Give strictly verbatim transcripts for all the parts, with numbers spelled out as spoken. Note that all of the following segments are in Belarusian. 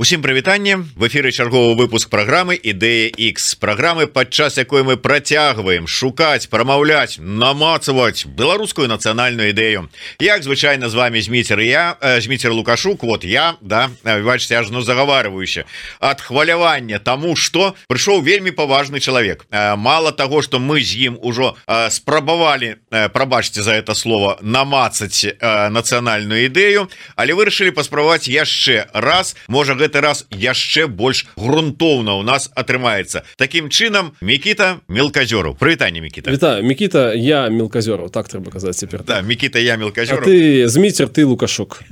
Усім прывітанне, в эфиры чарговы выпуск программы Ідэя X, программы, падчас якой мы працягваем шукаць, прамаўляць, намацаваць беларускую нацыянальную ідэю. Як звычайно з вами Зміцер і я, э, Зміцер Лукашук, вот я, да, бачите, аж ну заговаривающе от хвалявання тому, что пришел вельмі поважный человек. Э, мало того, что мы з ім ужо э, спрабавалі, э, прабачьте за это слово, намацаць э, нацыянальную ідэю, але вырашылі паспрабаваць яшчэ раз, можа гэта раз яшчэ больш грунтоўна у нас атрымаецца. Таким чынам, Мікіта Мелказёраў. Прывітанне, Мікіта. Вітаю, Мікіта, я Мелказёраў, так трэба казаць цяпер. Да, Мікіта, я Мелказёраў. А ты Зміцер, ты Лукашук.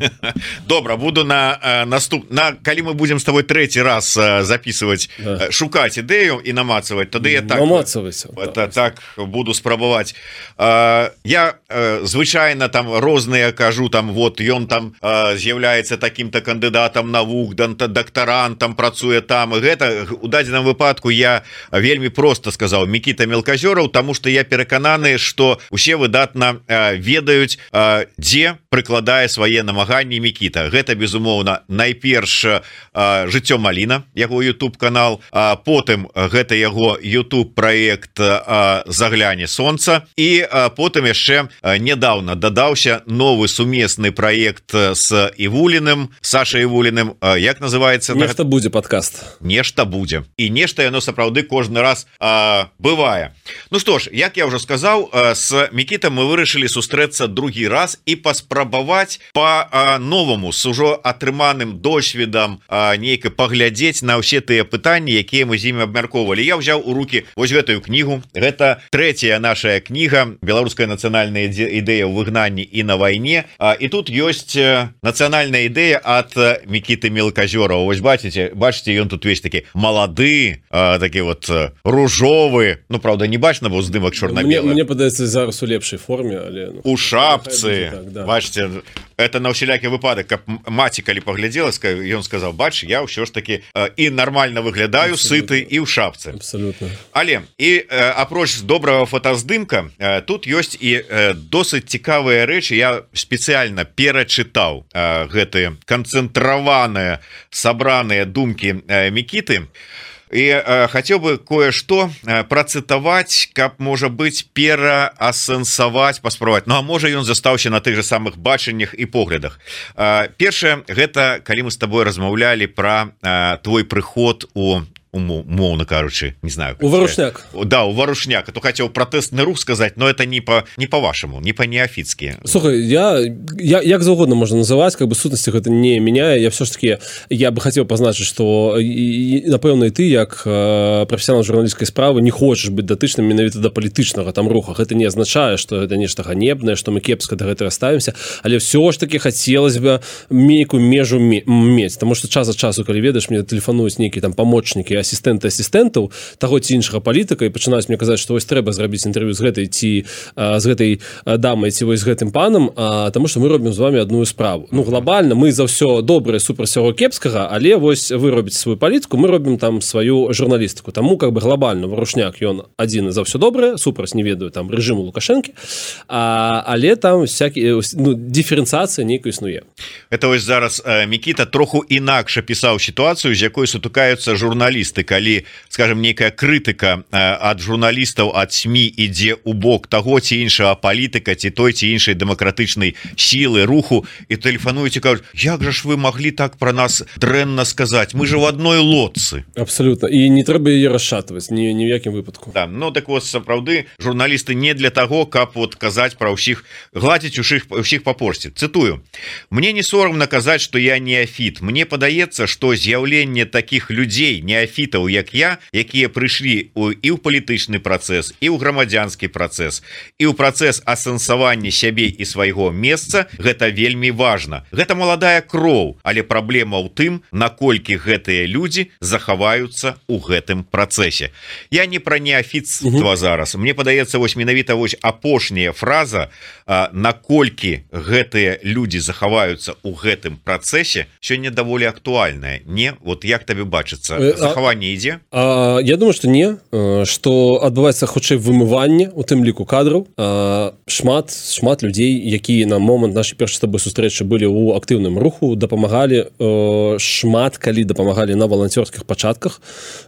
Добра, буду на э, наступ на калі мы будем с тобой трэці раз э, записывать, да. э, шукаць ідэю і намацаваць, тады я так намацавайся. Это, так буду спрабаваць. Э, я э, звычайна там розныя кажу, там вот ён там э, з'яўляецца таким-то кандыдатам навук, дактарантам працуе там, і гэта у дадзеным выпадку я вельмі просто сказаў Мікіта Мелказёраў, тому что я перакананы, что усе выдатна э, ведаюць, э, дзе прыкладае свае намаганні Мікіта. Гэта безумоўна найперш э, жыццё Маліна, яго YouTube канал, а потым гэта яго YouTube проект э, загляне сонца, і э, потым яшчэ э, недавно дадаўся новы сумесны проект с Івуліным, Сашай Івуліным, э, як называется? Нешта будзе подкаст. Нешта будзе. І нешта яно сапраўды кожны раз э, бывае. Ну что ж, як я уже сказаў, э, с Мікітам мы вырашылі сустрэцца другі раз і паспрабаваць по-новаму с ужо атрыманым досведам э, нейка паглядзець на ўсе тыя пытанні, якія мы з імі абмяркоўвалі. Я ўзяў у руки вось гэтую кнігу. Гэта трэцяя наша кніга «Беларуская нацыянальная ідэя ў выгнанні і на вайне». Э, і тут ёсць нацыянальная ідэя ад Мікіты Мелказёраў. Вось бачите, бачите, ён тут весь такі малады, э, такі вот э, ружовы, ну правда не бачна, бо здымак чорна-белы. Мне, мне падаецца зараз у лепшай форме, але ну, у шапцы, так, да. Бачите, это на ўсялякі выпадак, каб маці калі паглядзела, ён сказаў, бач, я ўсё ж таки э, і нормально выглядаю, абсолютно. Сыты і ў шапцы. Абсолютно. Але і э, апроч добрага фотаздымка, э, тут ёсць і э, досыць цікавыя рэчы. Я спецыяльна перачытаў э, гэтыя канцэнтраваныя сабраныя думкі э, Мікіты. І э, хацеў бы кое-што э, працытаваць, каб, можа быць, пераасэнсаваць, паспрабаваць. Ну а можа ён застаўся на тых же самых бачаннях і поглядах. Э, першае, гэта калі мы з табой размаўлялі пра э, твой прыход у умоўно кажучы, не знаю, у Варушняк. Да, у Варушняк. А то хотел протестный рух сказать, но это не по не по-вашему, не по-неофитски. Слушай, я, я як заўгодна можно называть, как бы сутнасці гэта не меняе. Я все ж таки, я бы хотел позначить, что напэўна і ты, як профессионал журналістскай справы, не хочешь быть датычным менавіта да палітычнага там руха. Гэта не означае, что это нешта ганебнае, что мы кепска да гэтага ставімся, але все ж таки хотелось бы нейкую межу мець, потому что час ад часу, калі ведаеш, мне тэлефануюць нейкія там памочнікі, асістэнты асістэнтаў таго ці іншага палітыка, і пачынаюць мне казаць, што вось трэба зрабіць інтэрв'ю з гэтай ці а, з гэтай дамай ці вось з гэтым панам, а, таму што мы робім з вами адную справу. Ну глобальна мы за ўсё добрае супраць усяго кепскага, але вось вы робіце сваю палітыку, мы робім там сваю журналістыку. Таму как бы глобальна Варушняк ён адзін за ўсё добрае, супраць не ведаю там рэжыму Лукашэнкі, а, але там всякі ну, дыферэнцыяцыя нейкая існуе. Это вось зараз э, Мікіта троху інакш апісаў сітуацыю, з якой сутыкаюцца журналісты, калі, скажем, некая крытыка ад журналістаў, ад СМІ ідзе ў бок таго ці іншага палітыка ці той ці іншай дэмакратычнай сілы, руху, і тэлефануюць і кажуць, як жа ж вы маглі так пра нас дрэнна сказаць, мы же в адной лодцы. Абсолютно, і не трэба яе расшатваць ні, ні ў якім выпадку. Да, ну так вот, сапраўды журналісты не для таго, каб вот казаць пра ўсіх, гладзіць усіх, усіх па почце. Цытую: мне не сорамна казаць, што я неафіт, мне падаецца, што з'яўленне такіх людзей неафіт, як я, якія прыйшлі у, і ў палітычны працэс, і ў грамадзянскі працэс, і ў працэс асэнсавання сябе і свайго месца, гэта вельмі важна. Гэта маладая кроў, але праблема ў тым, наколькі гэтыя людзі захаваюцца ў гэтым працэсе. Я не пра неафіцтва зараз. Мне падаецца, вось менавіта вось апошняя фраза, а, наколькі гэтыя людзі захаваюцца ў гэтым працэсе, сёння даволі актуальная. Не, вот як табе бачыцца, захаваюцца размыванне ідзе? А, я думаю, што не, што адбываецца хутчэй вымыванне у тым ліку кадраў. А, шмат шмат людзей, якія на момант нашай першай з табой сустрэчы былі ў актыўным руху, дапамагалі э, шмат калі дапамагалі на валанцёрскіх пачатках.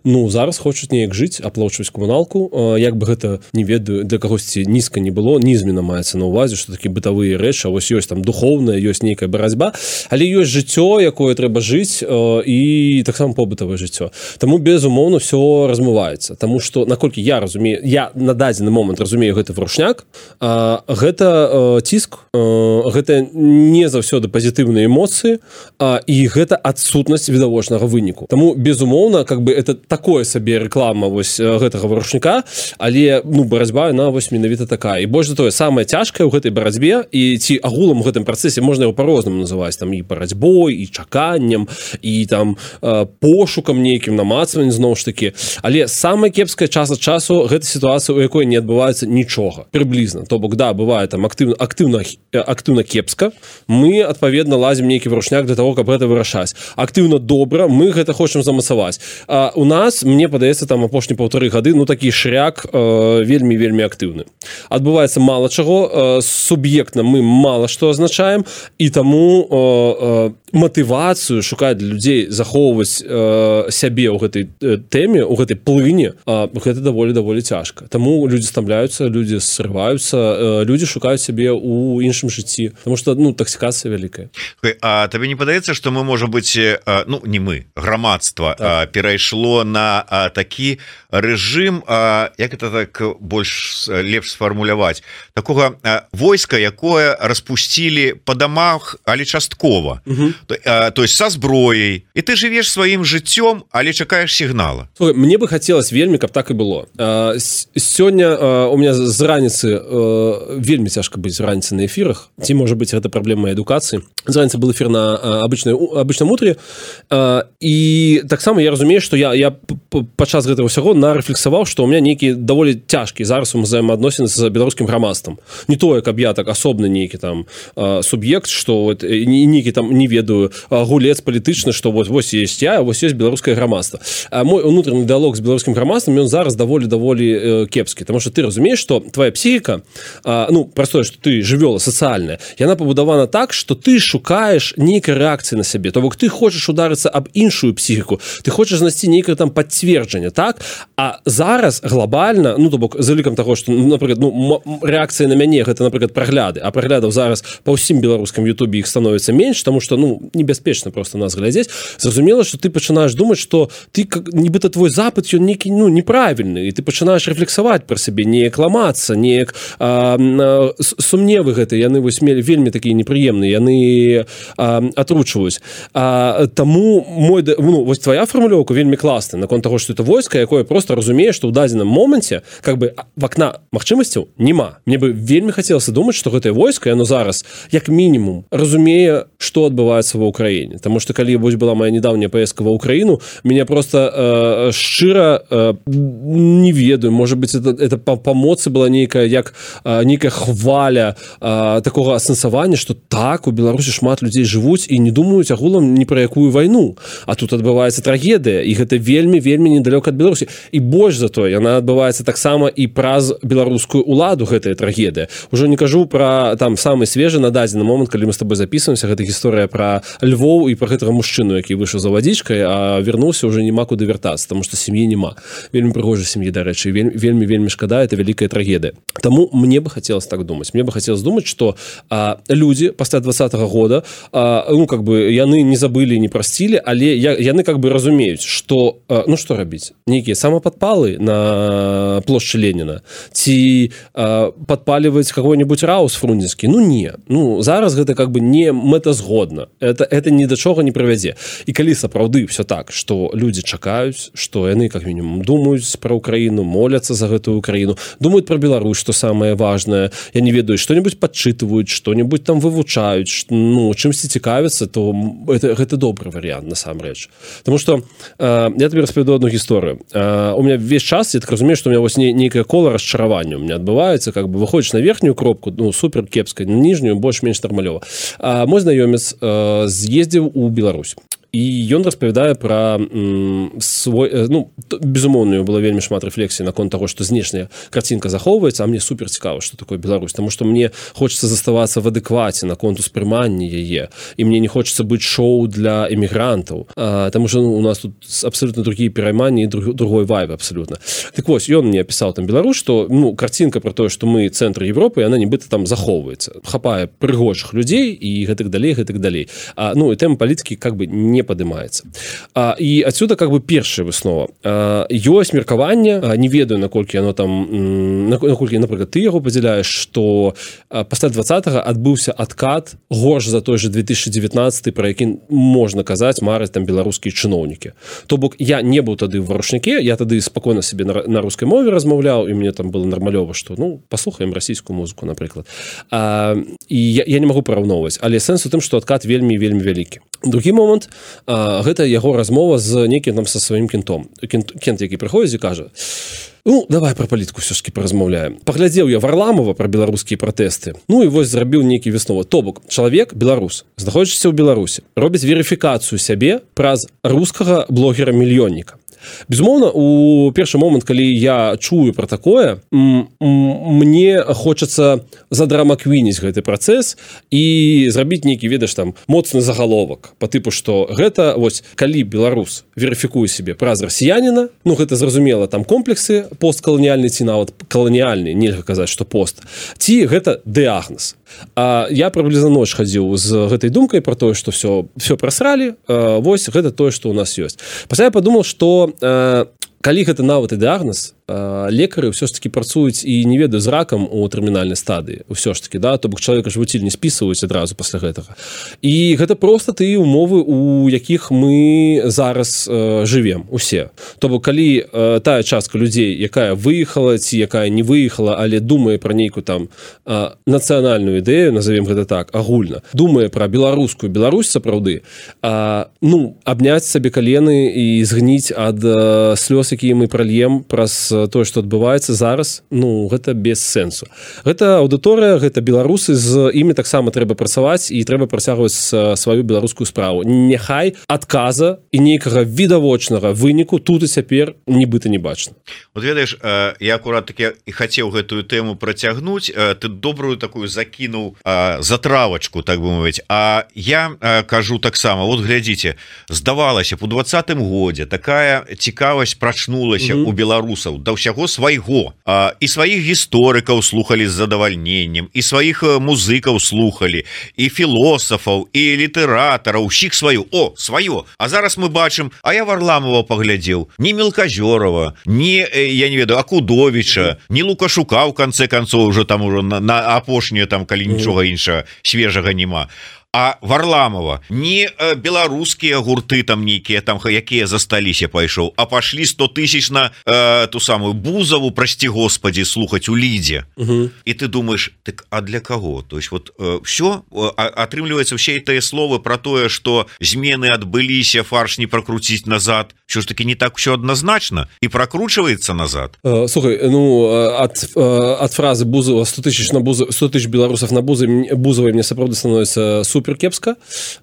Ну зараз хочуць неяк жыць, аплачваць камуналку. Э, як бы гэта, не ведаю, для кагосьці нізка не было, нізмена маецца на ўвазе, што такі бытавыя рэчы, а вось ёсць там духоўная, ёсць нейкая барацьба, але ёсць жыццё, якое трэба жыць, э, і таксама побытавае жыццё. Таму безумоўна ўсё размываецца, таму што наколькі я разумею, я на дадзены момант разумею гэты вручняк, э, гэта э, ціск, э, гэта не заўсёды пазітыўныя эмоцыі, э, і гэта адсутнасць відавочнага выніку. Таму безумоўна, как бы это такое сабе рэклама вось гэтага вручніка, але ну барацьба яна вось менавіта такая. І больш за тое, самае цяжкае ў гэтай барацьбе, і ці агулам у гэтым працэсе можна яго па-рознаму называць, там і барацьбой, і чаканнем, і там э, пошукам нейкім, намацваннем зноў ж такі. Але самая кепская час ад часу гэта сітуацыя, у якой не адбываецца нічога прыблізна. То бок да, бывае там актыўна актыўна актыўна кепска, мы адпаведна лазім нейкі вручняк для того, каб гэта вырашаць. Актыўна добра, мы гэта хочам замацаваць. А у нас, мне падаецца, там апошні паўтары гады, ну такі шряк э, вельмі вельмі актыўны. Адбываецца мала чаго, э, суб'ектна мы мала што азначаем, і таму э, э, матывацыю шукаць для людзей захоўваць э, сябе ў гэтай э, тэме, у гэтай плыні, э, гэта даволі даволі цяжка. Таму людзі стамляюцца, людзі срываюцца, э, людзі шукаюць сябе ў іншым жыцці, тому што ну таксікацыя вялікая. А табе не падаецца, што мы можа быць, ну не мы, грамадства так. перайшло на а, такі рэжым, а, як это так больш лепш сфармуляваць, такога а, войска, якое распусцілі па дамах, але часткова. Угу. То, а, то есть са зброяй, і ты жывеш сваім жыццём, але чакаеш сігнала. Слухай, мне бы хацелось вельмі, каб так і было. А, сёння а, у меня з раніцы а, вельмі цяжка быць раніцы на эфірах, ці можа быць гэта праблема адукацыі. З раніцы был эфір на а, обычной, обычном утре, а, і таксама я разумею, што я, я падчас гэтага ўсяго нарэфлексаваў, што ў меня нейкі даволі цяжкі зараз узаемаадносіны з беларускім грамадствам. Не тое, каб я так асобны нейкі там а, суб'ект, што вот, нейкі там не ведаю гулец палітычны, што вот вось есть я, вось есть беларускае грамадства. А мой унутраны дыалог з беларускім грамадствам, ён зараз даволі даволі э, кепскі, таму што ты разумееш, што твоя псіхіка, а, ну простое, што ты жывёла сацыяльная, яна пабудавана так, што ты шукаеш нейкай рэакцыі на сябе, то бок ты хочаш ударыцца аб іншую псіхіку, ты хочаш знайсці нейкае там пацверджанне, так? А зараз глобальна, ну то бок за лікам таго, што напрыклад, ну рэакцыя на мяне гэта напрыклад прагляды, а праглядаў зараз па ўсім беларускам ютубе іх становіцца менш, таму што ну небяспечна просто нас глядзець. Зразумела, што ты пачынаеш думаць, што ты как нібыта твой запыт ён нейкі ну неправільны, і ты пачынаеш рэфлексаваць пра сябе, неяк ламацца, неяк а, а, сумневы гэты яны вось мелі вельмі такія непрыемныя, яны а, атручваюць. А, таму мой ну вось твоя фармулёўка вельмі класная наконт таго, што это войска, якое просто разумее, што ў дадзеным моменце как бы вакна магчымасцяў няма. Мне бы вельмі хацелася думаць, што гэтае войска яно зараз як мінімум разумее, што адбываецца ва ўкраіне. Таму што калі вось была моя недаўняя паездка ва ўкраіну, мяне просто э, шчыра э, не ведаю, можа быць это, это па, па моцы была нейкая як э, нейкая хваля э, такога асэнсавання, што так у Беларусі шмат людзей жывуць і не думаюць агулам ні пра якую вайну, а тут адбываецца трагедыя, і гэта вельмі вельмі недалёка ад Беларусі. І больш за тое, яна адбываецца таксама і праз беларускую уладу гэтая трагедыя. Ужо не кажу пра там самы свежы на дадзены момант, калі мы з тобой записываемся, гэта гісторыя пра Львоў і пра гэтага мужчыну, які выйшаў за вадзічкай, а вярнуўся ўжо няма куды вяртацца, таму што сям'і няма. Вельмі прыгожай сям'і, дарэчы, вельмі вельмі вельмі шкада, это вялікая трагедыя. Таму мне бы хацелось так думаць. Мне бы хацелось думаць, што а, людзі пасля двадцатага года а, ну как бы яны не забылі, не прасцілі, але я, яны как бы разумеюць, што а, ну што рабіць? Нейкія самападпалы на плошчы Леніна ці а, падпаліваць какой-нибудь раус фрунзенскі? Ну не. Ну зараз гэта как бы не мэтазгодна. Это это ні да чога не прывядзе. І калі сапраўды все так, што людзі чакаюць, што яны как мінімум думаюць пра Украіну, моляцца за гэтую Украіну, думаюць пра Беларусь, што самае важнае, я не ведаю, што-нибудь падчытваюць, што-нибудь там вывучаюць, ну чымсьці цікавяцца, то это, гэта добры варыянт насамрэч. Таму што э, я табе распавяду одну гісторыю. Э, у меня весь час, я так разумею, што у меня вось не, нейкае кола расчаравання у меня адбываецца, как бы выходзіш на верхнюю кропку, ну супер кепска, на ніжнюю больш-менш нармалёва. А мой знаёмец э, з'ездзіў у Беларусь. і ён распавядае пра м, свой ну безумоўную было вельмі шмат рэфлексій наконт того, што знешняя карцінка захоўваецца, а мне супер цікава, што такое Беларусь, таму што мне хочацца заставацца в адэкваце наконт успрымання яе, і мне не хочацца быць шоу для эмігрантаў, таму што ну, у нас тут абсолютно другие перайманні і друг, другой вайб абсолютно. Так вось, ён мне пісаў там Беларусь, што ну карцінка про тое, што мы цэнтр Европы, яна нібыта там захоўваецца, хапае прыгожых людзей і гэтак далей, гэтак далей. А, ну і тэма палітыкі как бы не падымаецца. А, і адсюда как бы першая выснова. А, ёсць меркаванне, а, не ведаю, наколькі яно там, наколькі, напрыклад, ты яго падзяляеш, што а, пасля двадцатага адбыўся адкат горш за той же две тысячи девятнадцатый, про які можна казаць, мараць там беларускія чыноўнікі. То бок я не быў тады в варушніке, я тады спакойна себе на, на рускай мове размаўляў, і мне там было нармалёва, што ну паслухаем расійскую музыку, напрыклад. А, і я, я не магу параўноўваць, але сэнс у тым, што адкат вельмі вельмі вялікі. Другі момант, а, гэта яго размова з некім там са сваім кентом. Кент, кент які прыходзіць і кажа: ну, давай про палітыку все-таки паразмаўляем. Паглядзеў я Варламова про беларускія пратэсты. Ну і вось зрабіў нейкі высновы. То бок, чалавек беларус, знаходзіцца ў Беларусі, робіць верыфікацыю сябе праз рускага блогера-мільённіка. Безумоўна, у першы момант, калі я чую пра такое, мне хочацца задрамаквініць гэты працэс і зрабіць нейкі, ведаш, там моцны загаловак по тыпу, што гэта вось калі беларус верыфікуе сябе праз расіяніна, ну гэта зразумела, там комплексы посткаланіяльны ці нават каланіяльны, нельга казаць, што пост, ці гэта дыягназ. А я прыблізна ноч хадзіў з гэтай думкай про тое, што все все прасралі, вось гэта тое, што ў нас ёсць. Пасля я падумаў, што калі гэта нават і дыягназ, лекары ўсё ж таки працуюць і не ведаю з ракам у тэрмінальнай стадыі ўсё ж таки, да, то бок чалавека ж вуціль не спісваюць адразу пасля гэтага. І гэта проста тыя умовы, у якіх мы зараз э, жывем усе. То бок калі э, тая частка людзей, якая выехала ці якая не выехала, але думае пра нейкую там э, нацыянальную ідэю, назовем гэта так, агульна, думае пра беларускую Беларусь сапраўды, э, ну абняць сабе калены і згніць ад э, слёз, якія мы пральем праз тое, што адбываецца зараз, ну гэта без сэнсу. Гэта аўдыторыя, гэта беларусы, з імі таксама трэба працаваць і трэба працягваць сваю беларускую справу. Няхай адказа і нейкага відавочнага выніку тут і цяпер нібыта не бачна. Вот ведаеш, я акурат таки і хацеў гэтую тэму працягнуць, ты добрую такую закінуў затравачку, так бы мовіць. А я кажу таксама, вот глядзіце, здавалася б у двадцатым годзе такая цікавасць прачнулася mm-hmm. у беларусаў да ўсяго свайго, а, і сваіх гісторыкаў слухалі з задавальненнем, і сваіх музыкаў слухалі, і філосафаў, і літаратараў, усіх сваю, о, сваё. А зараз мы бачым, а я Варламова паглядзеў, не Мелказёрова, не, я не ведаю, Акудовіча, не Лукашука, ў канцы канцоў уже там уже на, на апошнюю, там, калі нічога іншага свежага няма. А Варламова, не э, беларускія гурты там нейкія там, якія засталіся пайшоў, а пашлі сто тысяч на э, ту самую Бузову, прасці Господі, слухаць у Лідзе. Угу. І ты думаешь, так а для каго? То есть вот э, все, э, атрымліваецца ўсе тыя словы про тое, што змены адбыліся, фарш не прокруціць назад, що ж таки не так все адназначна і прокручваецца назад. Э, слухай, ну ад, ад фразы Бузова сто тысяч на Бузов, сто тысяч беларусаў на Бузовой, Бузовой мне сапраўды становіцца супер кепска,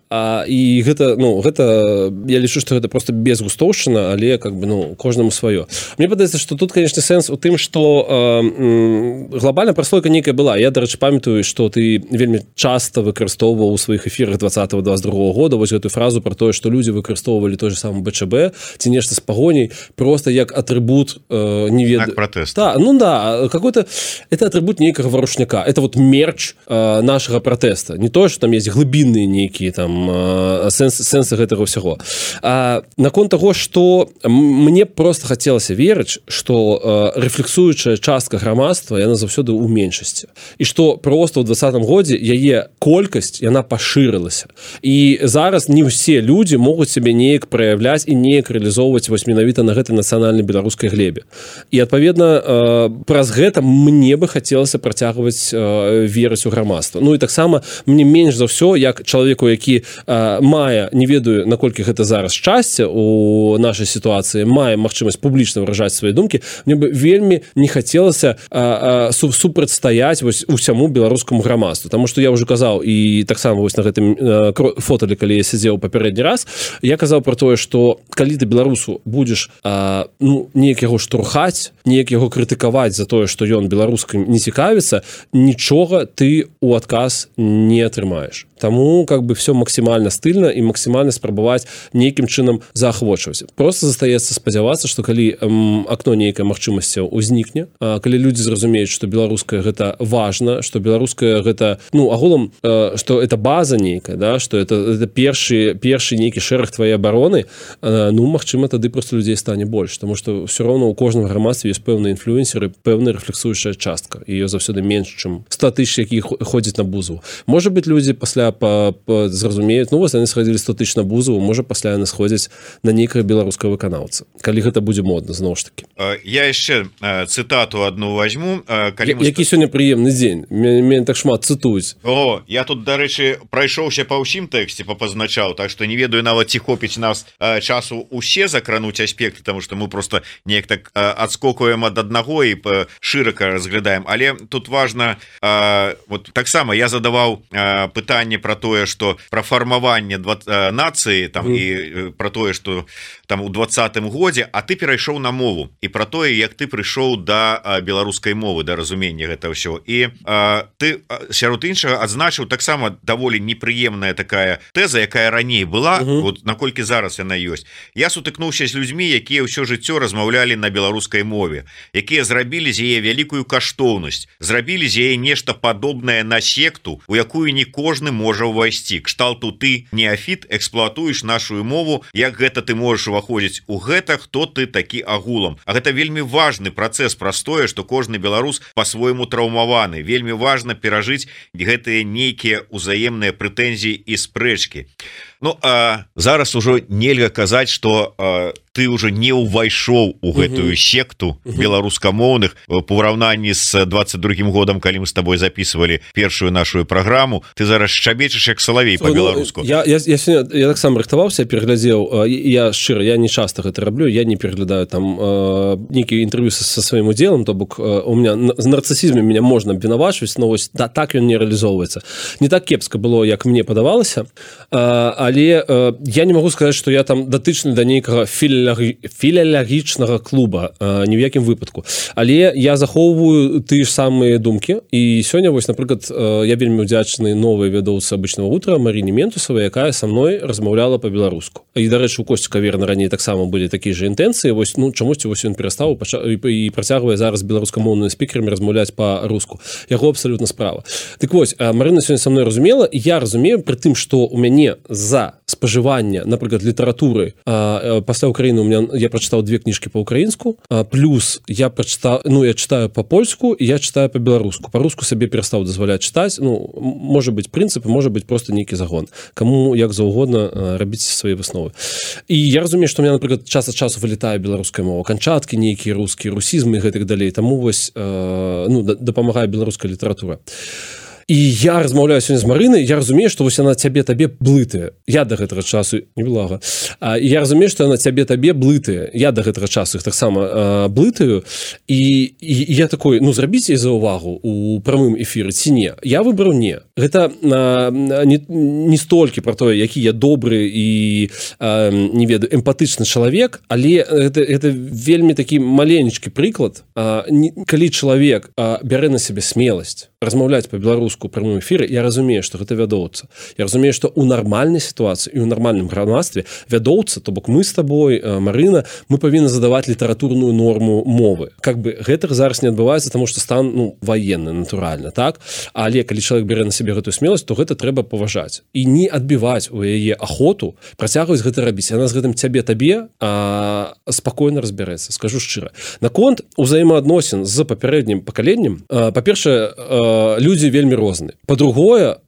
а, і гэта, ну, гэта, я лічу, што гэта просто безгустоўшчына, але как бы, ну, кожнаму сваё. Мне падаецца, што тут, конечно, сэнс у тым, што э, глобальная праслойка нейкая была. Я, дарэчы, памятаю, што ты вельмі часта выкарыстоўваў у сваіх эфірах двадцатого двадцать другого года вось гэтую фразу про тое, што людзі выкарыстоўвалі той же самы БЧБ ці нешта з пагоняй просто як атрыбут э, не ведаю. Протэста. Да, ну да, какой-то это атрыбут нейкага варушняка. Это вот мерч э, нашага пратэста. Не тое, што там есть глыбінныя нейкія там сэнсы, сэнсы гэтага ўсяго. А наконт таго, што мне просто хацелася верыць, што рэфлексуючая частка грамадства яна заўсёды ў меншасці. І што просто ў двадцатым годзе яе колькасць яна пашырылася. І зараз не ўсе людзі могуць сябе неяк праяўляць і неяк рэалізоўваць вось менавіта на гэтай нацыянальнай беларускай глебе. І адпаведна праз гэта мне бы хацелася працягваць верыць у грамадства. Ну і таксама мне менш за ўсё як чалавеку, які а, мае, не ведаю, наколькі гэта зараз шчасце у нашай сітуацыі, мае магчымасць публічна выражаць свае думкі, мне бы вельмі не хацелася а, а, су, супрацьстаяць вось усяму беларускаму грамадству, таму што я ўжо казаў і таксама вось на гэтым а, фоталі, калі я сядзеў папярэдні раз, я казаў про тое, што калі ты беларусу будзеш а, ну, неяк яго штурхаць, неяк яго крытыкаваць за тое, што ён беларускім не цікавіцца, нічога ты у адказ не атрымаеш. Таму как бы все максімальна стыльна і максімальна спрабаваць нейкім чынам заахвочваць. Просто застаецца спадзявацца, што калі эм, акно нейкай магчымасцяў узнікне, а, калі людзі зразумеюць, што беларускае гэта важна, што беларускае гэта, ну, агулам, э, што это база нейкая, да, што это, это першы, першы нейкі шэраг твае абароны, э, ну, магчыма, тады просто людзей стане больш, таму што все роўно у кожным грамадстве ёсць пэўныя інфлюэнсеры, пэўная рэфлексуючая частка, і ее заўсёды менш, чым сто тысяч, які ходзяць на бузу. Можа быць, людзі пасля па, па, зразумеюць, ну, вось яны схадзілі сто тысяч на бузу, можа, пасля яны сходзяць на нейкага беларускага выканаўца, калі гэта будзе модна, зноў ж такі. Я яшчэ цытату адну возьму. Калі мы... Які сёння прыемны дзень, мяне так шмат цытуюць. О, я тут, дарэчы, прайшоўся па ўсім тэксце, папазначаў, так што не ведаю нават ці хопіць нас часу усе закрануць аспекты, таму што мы просто неяк так адскокуем ад аднаго і шырака разглядаем, але тут важна, вот таксама я задаваў пытанне про тое, что про фармаванне нацыі там mm. і про тое, что там у двадцатым годзе, а ты перайшоў на мову і про тое, як ты прыйшоў да беларускай мовы, да разумення гэта ўсё. І а, ты сярод іншага адзначыў таксама даволі непрыемная такая тэза, якая раней была, mm -hmm. вот наколькі зараз яна ёсць. Я сутыкнуўся з людзьмі, якія ўсё жыццё размаўлялі на беларускай мове, якія зрабілі з яе вялікую каштоўнасць, зрабілі з яе нешта падобнае на секту, у якую не кожны можа ўвайсці. Кшталту ты, неафіт, эксплуатуеш нашу мову, як гэта ты можаш уваходзіць у гэта, хто ты такі агулам. А гэта вельмі важны працэс, простое, што кожны беларус по-свойму траўмаваны. Вельмі важна перажыць гэтыя нейкія ўзаемныя прэтэнзіі і спрэчкі. Ну, а зараз ужо нельга казаць, што а, ты уже не ўвайшоў у гэтую секту беларускамоўных по ўраўнанні з двадцать другим годам, калі мы з тобой записывалі першую нашу праграму. Ты зараз шчабечаш як салавей по-беларуску. Ну, я, я, я, я таксама рыхтаваўся, пераглядзеў, я шчыра, я не часто гэта раблю, я не пераглядаю там э, нейкія інтэрв'ю са, са сваім удзелам, то бок э, у меня з нарцысізмам меня можна абвінавачваць, но вось да, так ён не реалізоўваецца. Не так кепска было, як мне падавалася, э, але э, я не могу сказаць, што я там датычны да нейкага філіялагічнага клуба, э, ні ў якім выпадку. Але я захоўваю тыя ж самыя думкі, і сёння вось, напрыклад, э, я вельмі удзячны новай вядоўцы «Обычного утра» Маріне Ментусавай, якая са мной размаўляла па-беларуску. І, дарэчы, у Косці Каверна раней таксама былі такія ж інтэнцыі, вось, ну, чамусьці вось ён перастаў і, і працягвае зараз беларускамоўнымі спікерамі размаўляць па-руску. Яго абсалютна справа. Так вось, Марына сёння са мной разумела, і я разумею пры тым, што у мяне за спажывання, напрыклад, літаратуры а, пасля Украіны у меня я прачытаў две кніжкі па-украінску, плюс я прачытаў, ну, я читаю па-польску і я читаю па-беларуску. Па-руску сабе перастаў дазваляць чытаць, ну, можа быць прынцып, можа быць просто нейкі загон. Каму як заўгодна рабіць свае высновы. І я разумею, што у меня, напрыклад, час ад часу вылетае беларуская мова, канчаткі нейкія рускія, русізмы і гэтак далей. Таму вось, э, ну, дапамагае беларуская літаратура. І я размаўляю сёння з Марынай, я разумею, што вось яна цябе табе блытае. Я да гэтага часу не блага. А, я разумею, што яна цябе табе блытае. Я да гэтага часу іх таксама а, блытаю. І, і я такой, ну, зрабіце за ўвагу у прамым эфіры ці не. Я выбраў не. Гэта а, не, не столькі пра тое, які я добры і, а, не ведаю, эмпатычны чалавек, але гэта, гэта вельмі такі маленечкі прыклад. А, не, калі чалавек а, бярэ на сябе смеласць размаўляць па-беларуску у прамым эфіры, я разумею, што гэта вядоўца. Я разумею, што ў нармальнай сітуацыі і ў нармальным грамадстве вядоўца, то бок мы з табой, Марына, мы павінны задаваць літаратурную норму мовы. Как бы гэта зараз не адбываецца, таму што стан, ну, ваенны, натуральна, так? Але калі чалавек бярэ на сябе гэтую смеласць, то гэта трэба паважаць. І не адбіваць у яе ахоту, працягваць гэта рабіць. Яна з гэтым цябе табе а, спакойна разбярэцца, скажу шчыра. Наконт узаемаадносін з папярэднім пакаленнем, па-першае, людзі вельмі розныя. розны. По-другое,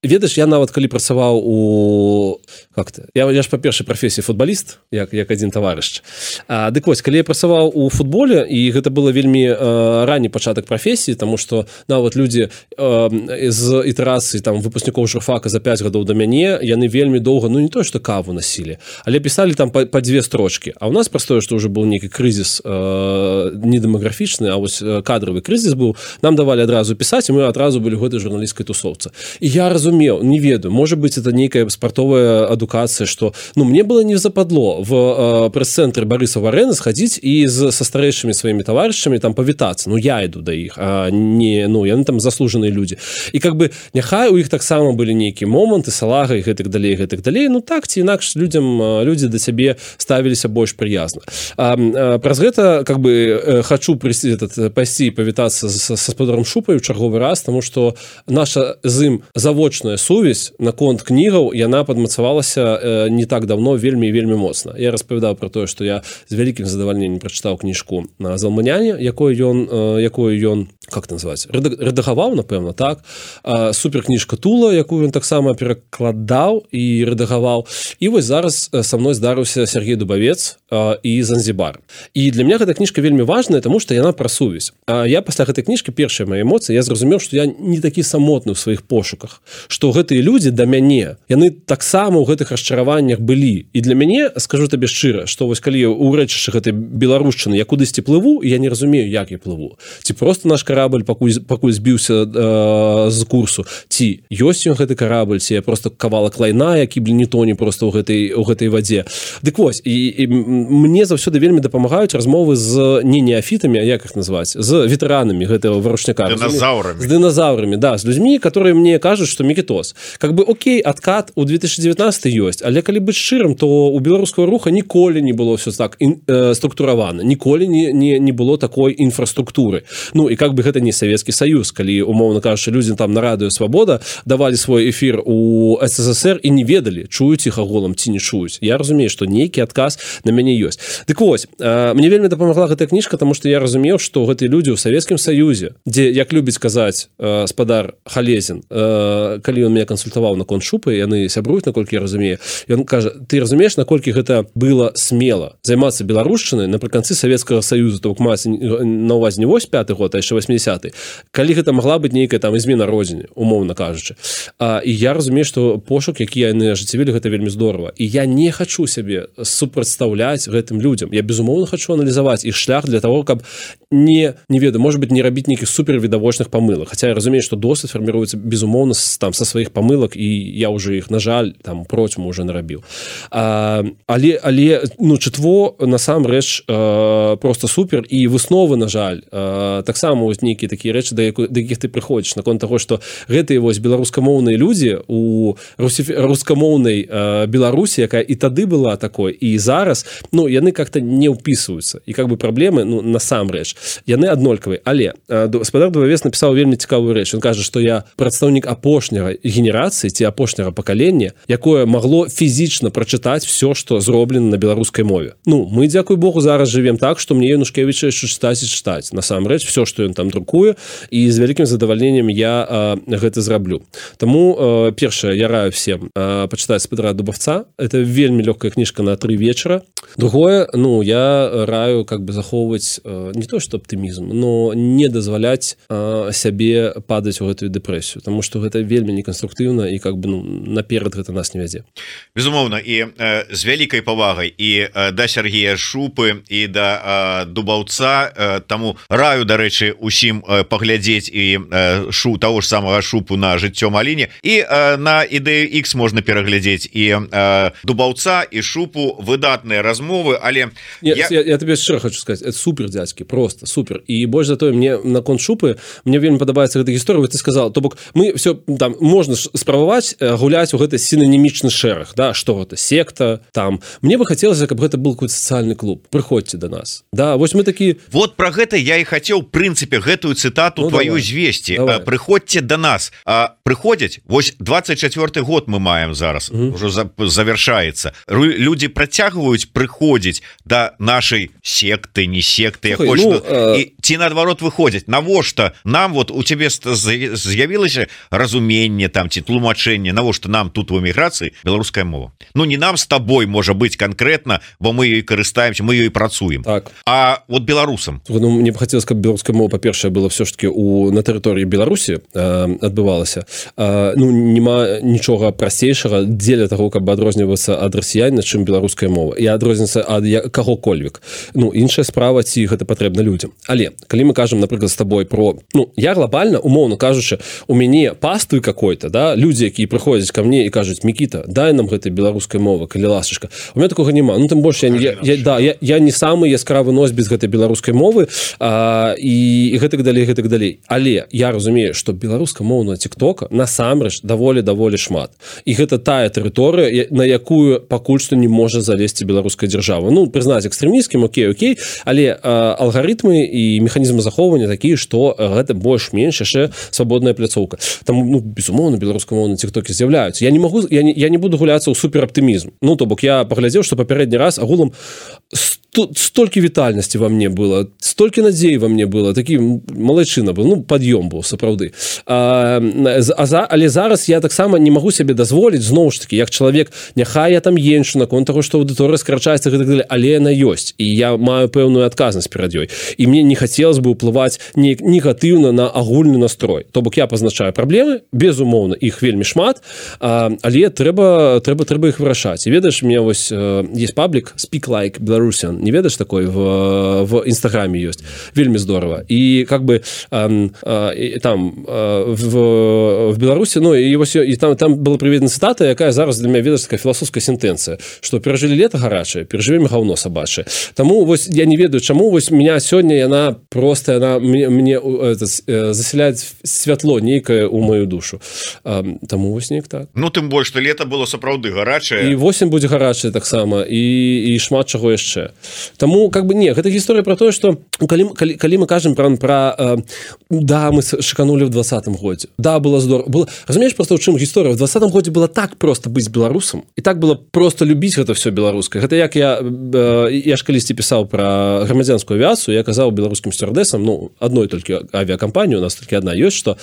ведаеш, я нават калі працаваў у как-то я, я ж па-першай прафесіі футболіст, як як адзін таварыш. Дык вось, калі я працаваў у футболе, і гэта было вельмі ранні пачатак прафесіі, таму што нават людзі з ітэрацыі там выпускнікоў журфака за пяць гадоў да мяне, яны вельмі доўга, ну не тое, што каву насілі, але пісалі там па, па дзве строчкі. А ў нас простое, што ўжо быў нейкі крызіс не дэмаграфічны, а вось кадравы крызіс быў, нам давалі адразу пісаць, і мы адразу былі гэтай журналісцкай тусоўцы. І я разумеў, не ведаю, можа быць, это нейкая спартовая адукацыя, што ну мне было не западло в э, прэс-цэнтры Барысава арэны схадзіць і з са старэйшымі сваімі таварышамі там павітацца. Ну я іду да іх, а не ну яны там заслужаныя людзі. І как бы няхай у іх таксама былі нейкія моманты, салага і гэтак далей, гэтак далей. Ну так ці інакш людзям людзі да цябе ставіліся больш прыязна. А, а, праз гэта как бы хачу прыйсці этот пайсці павітацца са спадаром Шупай у чарговы раз, таму што наша з ім завочная сувязь наконт кнігаў яна падмацавалася не так давно вельмі вельмі моцна. Я распавядаў пра тое, што я з вялікім задавальненнем прачытаў кніжку на Залманяне, якой ён якую ён как называць рэдагаваў, напэўна, так. Суперкніжка Тула, якую ён таксама перакладаў і рэдагаваў. І вось зараз са мной здарыўся Сергей Дубавец і Занзібар. І для мяне гэта кніжка вельмі важная, таму што яна пра сувязь. А я пасля гэтай кніжкі першыя мае эмоцыі, я зразумеў, што я не такі самотны ў сваіх пошуках, што гэтыя людзі да мяне, яны таксама ў гэтых расчараваннях былі. І для мяне, скажу табе шчыра, што вось калі ў рэчышчы гэтай беларушчыны я кудысьці плыву, і я не разумею, як я плыву. Ці просто наш карабль пакуль, пакуль збіўся э, з курсу, ці ёсць ён гэты карабль, ці я просто кавалак лайна, які блин не тоне просто ў гэтай, ў гэтай вадзе. Дык вось, і, і мне заўсёды вельмі дапамагаюць размовы з не неафітамі, а як іх назваць, з ветэранамі гэтага варушняка. Дыназаўрамі. З дыназаўрамі, да, з людзьмі, которые мне кажуць, што Мікітос. Как бы окей, адкат у две тысячи девятнадцатый ёсць, але калі быць шчырым, то у беларускага руха ніколі не было ўсё так ін, э, структуравана, ніколі не, не, не было такой інфраструктуры. Ну і как бы гэта не Савецкі Саюз, калі умоўна кажучы, людзі там на радыё Свабода давалі свой эфір у СССР і не ведалі, чуюць іх аголам ці не чуюць. Я разумею, што нейкі адказ на мяне ёсць. Дык вось, э, мне вельмі дапамагла гэтая кніжка, таму што я разумеў, што гэтыя людзі ў Савецкім Саюзе, дзе, як любіць казаць э, спадар Халезін, э, калі ён мяне кансультаваў наконт Шупы, яны сябруюць, наколькі я разумею, ён кажа, ты разумееш, наколькі гэта было смела займацца беларушчынай напрыканцы Савецкага Саюза, то бок маецца на ўвазе не восьмі пяты год, а яшчэ восьмідзясяты, калі гэта магла быць нейкая там змена родзіне, умоўна кажучы. А, і я разумею, што пошук, які яны ажыццявілі, гэта вельмі здорава. І я не хачу сябе супрацьстаўляць гэтым людзям. Я безумоўна хачу аналізаваць іх шлях для того, каб не, не ведаю, может быть, не рабіць нейкіх супервідавочных памылак. Хаця я разумею, што досвед фарміруецца безумоўна там са сваіх памылак, і я ўжо іх, на жаль, там процьму ўжо нарабіў. А, але, але ну, чытво насамрэч э, просто супер, і высновы, на жаль, э, таксама вось нейкія такія рэчы, да, яку, да якіх ты прыходзіш, наконт таго, што гэтыя вось беларускамоўныя людзі у рускамоўнай э, Беларусі, якая і тады была такой, і зараз, ну, яны как-то не ўпісваюцца. І как бы праблемы, ну, насамрэч, яны аднолькавыя. Але э, спадар Дубавец напісаў вельмі цікавую рэч. Ён кажа, што я прадстаўнік апошняга генерацыі ці апошняга пакалення, якое магло фізічна прачытаць все, што зроблена на беларускай мове. Ну, мы, дзякуй Богу, зараз жывем так, што мне Янушкевіча яшчэ чытаць і чытаць. Насамрэч, все, што ён там друкуе, і з вялікім задавальненнем я э, гэта зраблю. Таму, э, першае, я раю всем э, пачытаць спадара Дубавца. Это вельмі лёгкая кніжка на тры вечара. Другое, ну, я раю как бы захоўваць э, не то, што аптымізм, но не дазваляць э, сябе падаць у гэтую дэпрэсію, таму што гэта вельмі неканструктыўна і как бы ну, наперад гэта нас не вядзе. Безумоўна, і э, з вялікай павагай і э, да Сергея Шупы і да э, Дубаўца, э, таму раю, дарэчы, усім э, паглядзець і э, шу таго ж самага Шупу на жыццё Маліне, і э, на ідэю X можна пераглядзець і э, Дубаўца і Шупу, выдатныя размовы, але я, я... Я, я табе шчыра хочу сказаць, это супер, дзядзькі, просто супер. І больш за тое, мне наконт Шупы, мне вельмі падабаецца гэта гісторыя, ты сказал, то бок мы все там можна спрабаваць гуляць у гэты сінанімічны шэраг, да, што гэта секта там. Мне бы хацелася, каб гэта был какой-то сацыяльны клуб. Прыходзьце до нас. Да, вось мы такі. Вот про гэта я і хацеў, в прынцыпе, гэтую цытату ну, твою звесці. Прыходзьце до нас. А прыходзяць, вось двадцать четвёрты год мы маем зараз, угу. Ужо за, завяршаецца. Людзі працягваюць прыходзіць да нашай секты, не секты, як Слухай, ну, і ці наадварот выходзяць навошта нам вот у цябе з'явілася разуменне там ці тлумачэнне навошта нам тут у эміграцыі беларуская мова ну не нам с тобой можа быць конкретно бо мы ёй карыстаемся мы ёй працуем так а вот беларусам ну, мне б хацелось каб беларуская мова па-першае было все ж таки у на тэрыторыі Беларусі э, адбывалася э, ну няма нічога прасцейшага дзеля того каб адрознівацца ад расіяніна чым беларуская мова і адрознівацца ад каго-кольвек ну іншая справа ці гэта патрэбна людзям але калі мы кажам напрыклад з тобой про ну я глобально умоўно кажучы у мяне паствы какой-то да людзі якія прыходзяць ко мне і кажуць Мікіта дай нам гэтай беларускай мовы калі ласачка у меня такога няма ну тым больш я, я, я да я, я не самы яскравы носьбіт гэтай беларускай мовы а, і, і гэтак далей гэтак далей але я разумею што беларускамоўная тиктока насамрэч даволі даволі шмат і гэта тая тэрыторыя на якую пакуль што не можа залезці беларуская дзяржава ну прызнаць экстрэміскім окей окей але а, алгарытмы і механізмы захоўвання такія што гэта больш-менш яшчэ свабодная пляцоўка там ну безумоўна беларускамоўныя тиктокі з'яўляюцца я не могу я не, я не буду гуляцца ў супераптымізм ну то бок я паглядзеў што папярэдні раз агулам столькі вітальнасці во мне было столькі надзей во мне было такі малайчына был ну пад'ём быў сапраўды а, а за але зараз я таксама не магу сябе дазволіць зноў ж таки як чалавек няхай я там еншу наконт таго што аўдыторыя скарачаецца гэтак далей але яна ёсць і я маю пэўную адказнасць перад ёй і мне не хацелось бы ўплываць не негатыўна на агульны настрой то бок я пазначаю праблемы безумоўна іх вельмі шмат а, але трэба трэба трэба іх вырашаць і ведаеш мне вось есть паблік Speak Like Belarusian не ведаешь такой в в інстаграме ёсць вельмі здорово і как бы э, э, там э, в в Беларусі ну і вось і там там была прыведена цытата якая зараз для мяне ведаеш такая філасофская сентэнцыя што перажылі лета гарачае перажывем гаўно сабачае таму вось я не ведаю чаму вось меня сёння яна просто яна мне, мне это, заселяць святло нейкае у мою душу э, таму вось неяк так ну тым больш што лета было сапраўды гарачае і восень будзе гарачая таксама і і шмат чаго яшчэ Таму как бы не гэта гісторыя про тое что калі, калі, калі мы кажам про про э, да мы шыканули в двадцатым годзе да было здорово было разумееш просто у чым гісторыя в двадцатым годзе было так просто быць беларусам і так было просто любіць гэта все беларускае гэта як я э, я ж калісьці пісаў про грамадзянскую авіяцыю я казаў беларускім сцюардэсам ну адной толькі авіакампанію у нас толькі одна ёсць что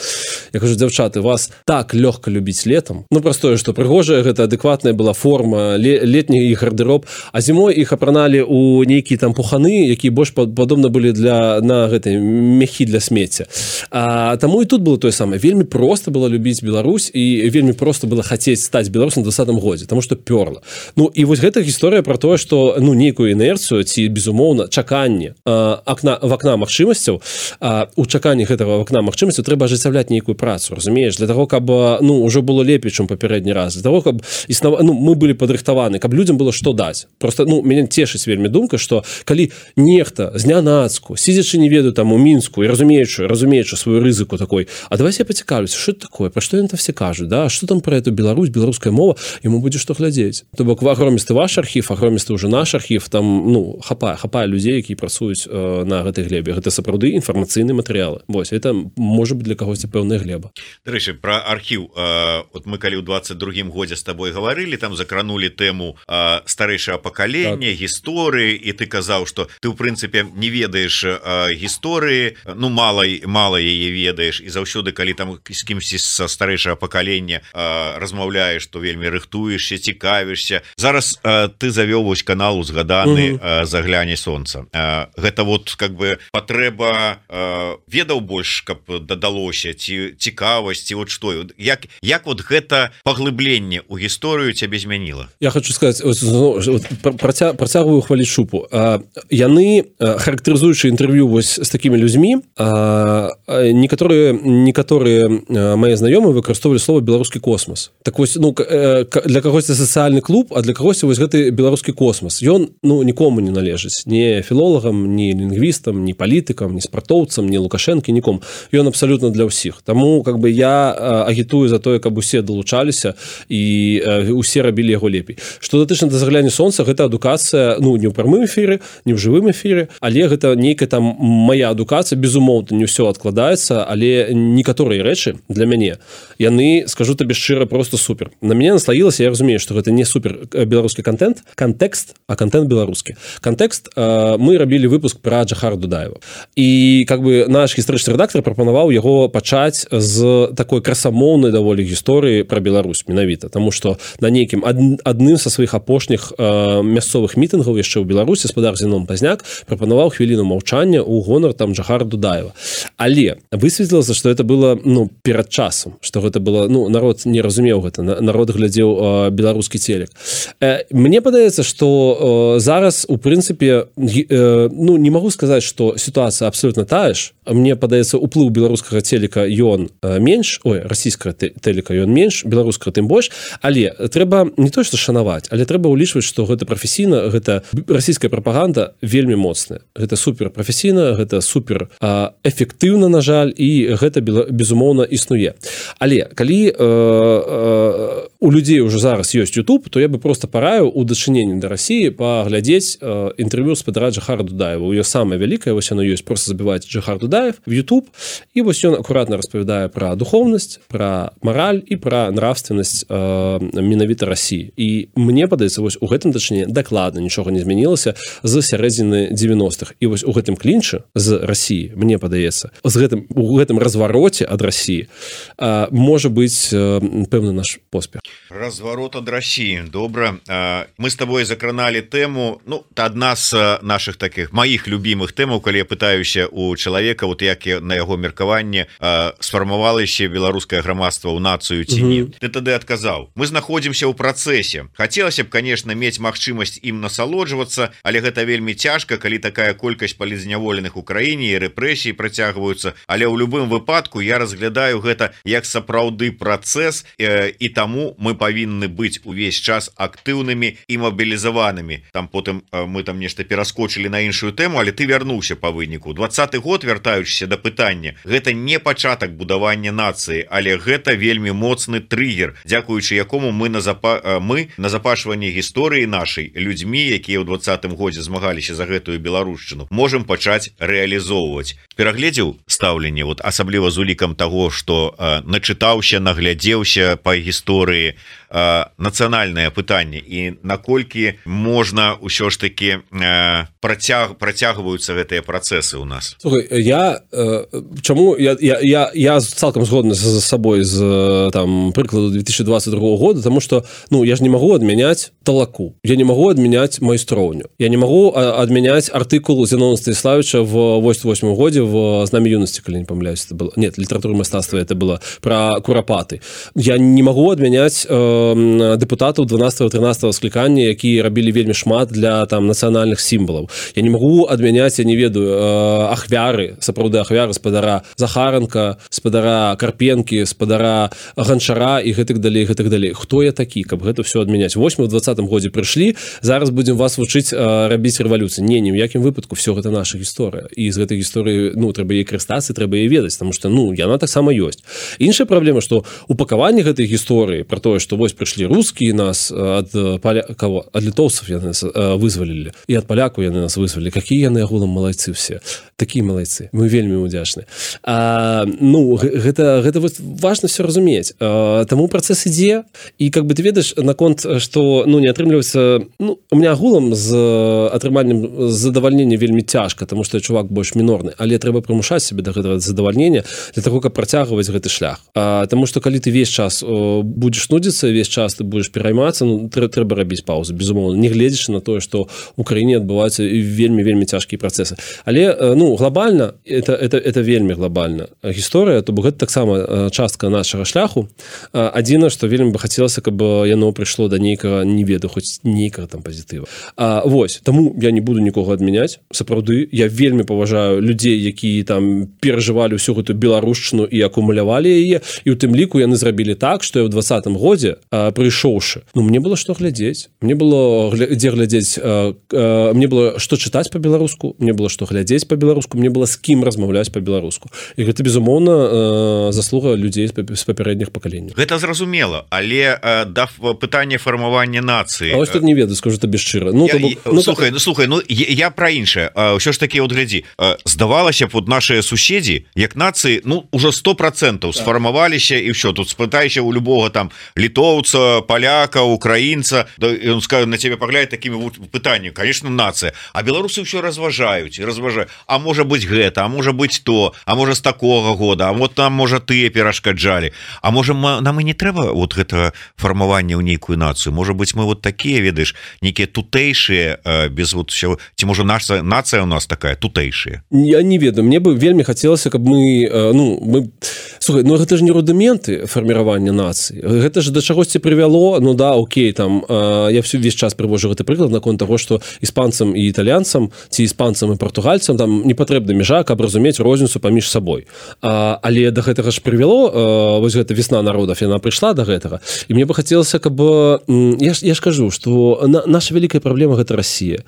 я кажу дзяўчаты вас так лёгка любіць летом ну простое что прыгожая гэта адэкватная была форма летні гардэроб а зімой іх апраналі у нейкія там пуханы якія больш падобна былі для на гэтай мехі для смецця а таму і тут было тое самае вельмі просто было любіць Беларусь і вельмі просто было хацець стаць беларусам двадцатым годзе тому что пёрла ну і вось гэта гісторыя про тое что ну нейкую інерцыю ці безумоўна чаканне акна в акна магчымасцяў у чаканні гэтага акна магчымасцяў трэба ажыццяўляць нейкую працу разумееш для того каб ну уже было лепей чым папярэдні раз для того каб існава ну мы былі падрыхтаваны каб людям было што даць просто ну мяне цешыць вельмі думка что калі нехта знянацку сидзячы не ведаю там у мінску і разумеючы разумеючы сваю рызыку такой а давай я пацікаўлюся что такое про што ён там все кажуць да что там про эту Беларусь беларуская мова ему будзе што глядзець то бок агромісты ваш архів агромісты уже наш архів там ну хапае хапае людзей які працуюць э, на гэтай глебе гэта сапраўды інфармацыйныя матэрыялы вось это можа быть для кагосьці пэўная глеба дарэчы про архіў э, вот мы калі ў двадцать другім годзе з тобой гаварылі там закранули тэму э, старэйшага пакалення так. гісторыі і ты казаў что ты в прынцыпе не ведаеш э, гісторыі ну мала мала яе ведаеш і заўсёды калі там з кімсьці са старэйшага пакалення э, размаўляеш то вельмі рыхтуешся цікавішся зараз э, ты завёў вось канал узгаданы э, загляне сонца э, гэта вот как бы патрэба э, ведаў больш каб дадалося ці цікавасці вот што як як вот гэта паглыбленне у гісторыю цябе змяніла я хочу сказать працягваю хваліць шупу яны характарызуючы інтэрв'ю вось з такімі людзьмі некаторыя некаторыя мае знаёмыя выкарыстоўвалі слова беларускі космас так вось ну для кагосьці сацыяльны клуб а для кагосьці вось гэты беларускі космас ён ну нікому не належыць не філолагам не лінгвістам не палітыкам не спартоўцам не лукашэнкі нікому ён абсалютна для ўсіх таму как бы я агітую за тое каб усе далучаліся і усе рабілі яго лепей што датычна да загляне сонца гэта адукацыя ну не ў прамым эфіры, не ў жывым эфіры, але гэта нейкая там моя адукацыя, безумоўна, не ўсё адкладаецца, але некаторыя рэчы для мяне, яны, скажу табе шчыра, просто супер. На мяне наслаілася, я разумею, што гэта не супер беларускі контент, контекст, а контент беларускі. Контекст, э, мы рабілі выпуск пра Джахара Дудаева. І как бы наш гістарычны рэдактор прапанаваў яго пачаць з такой красамоўнай даволі гісторыі пра Беларусь менавіта, таму што на нейкім ад, адным са сваіх апошніх э, мясцовых мітынгаў яшчэ ў Беларусі спадар Зенон Пазняк прапанаваў хвіліну маўчання ў гонар там Джахара Дудаева. Але высветлілася, што это было ну перад часам, што гэта было ну народ не разумеў гэта, народ глядзеў э, беларускі телек. Э, мне падаецца, што э, зараз у прынцыпе э, ну не магу сказаць, што сітуацыя абсолютно тая ж. Мне падаецца, уплыў беларускага телека ён э, менш, ой, расійскага телека ён менш, беларускага тым больш, але трэба не то што шанаваць, але трэба ўлічваць, што гэта прафесійна, гэта расійская прапаганда вельмі моцная. Гэта супер прафесійна, гэта супер э, эфектыўна, на жаль, і гэта безумоўна існуе. Але калі э, э, у людзей уже зараз ёсць YouTube, то я бы просто параіў у дачыненні да Расіі паглядзець э, інтэрв'ю спадара Джахара Дудаева. У ёй самае вялікае, вось оно ёсць, просто забіваць Джахар Дудаев в YouTube, і вось ён акуратна распавядае пра духоўнасць, пра мараль і пра нравственнасць э, менавіта Расіі. І мне падаецца, вось у гэтым дачыненні дакладна нічога не змянілася з сярэдзіны дзевяностых. І вось у гэтым клінчы з Расіі, мне падаецца, з гэтым, у гэтым развароце ад Расіі э, можа быць э, пэўны наш поспех. Разворот ад России. Добра. Мы с тобой закранали тему, ну, одна з наших таких, моих любимых тем, коли я пытаюся у человека, вот як на его меркаванне сфармавалася беларускае грамадства ў нацыю ці не. Ты тады адказаў. Мы знаходзімся ў працэсе. Хацелася б, конечно, мець магчымасць ім насалоджвацца, але гэта вельмі цяжка, калі такая колькасць палізняволеных у краіне і рэпрэсіі працягваюцца. Але ў любым выпадку я разглядаю гэта як сапраўды працэс, і таму мы павінны быць увесь час актыўнымі і мабілізаванымі. Там потым мы там нешта пераскочылі на іншую тэму, але ты вярнуўся па выніку. дваццаты год, вяртаючыся да пытання, гэта не пачатак будавання нацыі, але гэта вельмі моцны трыгер, дзякуючы якому мы на запа... мы на запашванні гісторыі нашай людзьмі, якія ў дваццатым годзе змагаліся за гэтую беларушчыну, можам пачаць рэалізоўваць. Перагледзеў стаўленне, вот асабліва з улікам таго, што э, начытаўся, наглядзеўся па гісторыі, э, нацыянальнае пытанне і наколькі можна ўсё ж таки э, працяг, працягваюцца гэтыя працэсы ў нас. Слухай, я э, чаму я, я, я, я цалкам згодны з сабой з там прыкладу две тысячи двадцать другого года, тому што ну я ж не магу адмяняць талаку, я не магу адмяняць майстроўню, я не магу адмяняць артыкул Зенона Станіславовича в восемьдесят восьмом году в знамя юности, калі не помыляюсь, это было, нет, литература мастацтва это было про курапаты. Я не магу адмяняць э, дэпутатаў дванадцатого-тринадцатого склікання, якія рабілі вельмі шмат для там нацыянальных сімвалаў. Я не магу адмяняць, я не ведаю, э, ахвяры, сапраўды ахвяры спадара Захаранка, спадара Карпенкі, спадара Ганчара і гэтак далей, гэтак далей. Хто я такі, каб гэта все адмяняць? Вось мы ў двадцатым годзе прыйшлі, зараз будзем вас вучыць э, рабіць рэвалюцыю. Не, ні ў якім выпадку, все гэта наша гісторыя. І з гэтай гісторыі, ну, трэба яе карыстацца, трэба яе ведаць, таму што, ну, яна таксама ёсць. Іншая праблема, што упакаванне гэтай гісторыі пра тое, што вось прыйшлі рускія нас ад паля... каго? Ад літоўцаў яны нас э, вызвалілі. І ад палякаў яны нас вызвалілі. Какія яны агулам малайцы все. Такія малайцы. Мы вельмі удзячны. А, ну, гэта, гэта вот важна все разумець. А, таму працэс ідзе, і как бы ты ведаеш наконт, што ну, не атрымліваецца, ну, у меня агулам з атрыманнем задавальнення вельмі цяжка, таму што чувак больш мінорны, але трэба прымушаць сябе да гэтага задавальнення для таго, каб працягваць гэты шлях. А, таму што калі ты весь час о, будзеш нудзіцца, весь час ты будзеш пераймацца, ну, трэ, трэба рабіць паузу, безумоўна, не гледзячы на тое, што ў краіне адбываюцца вельмі вельмі цяжкія працэсы. Але ну глобальна это это это вельмі глобальна гісторыя, то бок гэта таксама частка нашага шляху. Адзіна, што вельмі бы хацелася, каб яно прыйшло да нейкага, не ведаю, хоць нейкага там пазітыва. А вось, таму я не буду нікога адмяняць. Сапраўды, я вельмі паважаю людзей, якія там перажывалі ўсю гэтую беларушчыну і акумулявалі яе, і ў тым ліку яны зрабілі так, што я ў двадцатым годзе прыйшоўшы, ну мне было што глядзець, мне было дзе глядзець, мне было што чытаць па-беларуску, мне было што глядзець па-беларуску, мне было з кім размаўляць па-беларуску. І гэта безумоўна заслуга людзей з папярэдніх пакаленняў. Гэта зразумела, але да пытання фармавання нацыі. А вось тут не ведаю, скажу табе шчыра. Ну, я, бок... ну, слухай так... ну слухай ну я, я про іншае ўсё ж таки вот глядзі здавалася б вот наши суседзі як нацыі ну уже сто процентов сфармаваліся і ўсё тут спытайся у любого там літоўца паляка украінца да, он скажет на тебе пагляд такими вот пытаннями конечно нацыя а беларусы ўсё разважаюць і разважаюць а можа быть гэта а можа быть то а можа з такого года а вот там можа тыя перашкаджалі а можа нам і не трэба вот гэта фармаванне ў нейкую нацыю можа быть мы вот такія ведаеш нейкія тутэйшыя без вот все ці можа наша нацыя у нас такая тутэйшая я не ведаю мне бы вельмі хацелася каб мы ну мы слухай ну гэта ж не рудыменты фарміравання нацыі гэта ж да чагосьці прывяло ну да окей там я всю весь час прывожу гэты прыклад наконт того что іспанцам і італьянцам ці іспанцам і партугальцам там не патрэбна межа каб разумець розніцу паміж сабой а, але да гэтага ж прывяло вось гэта весна народов яна прыйшла до гэтага і мне бы хацелася каб я ж, я ж кажу что на, наша вялікая праблема гэта Россия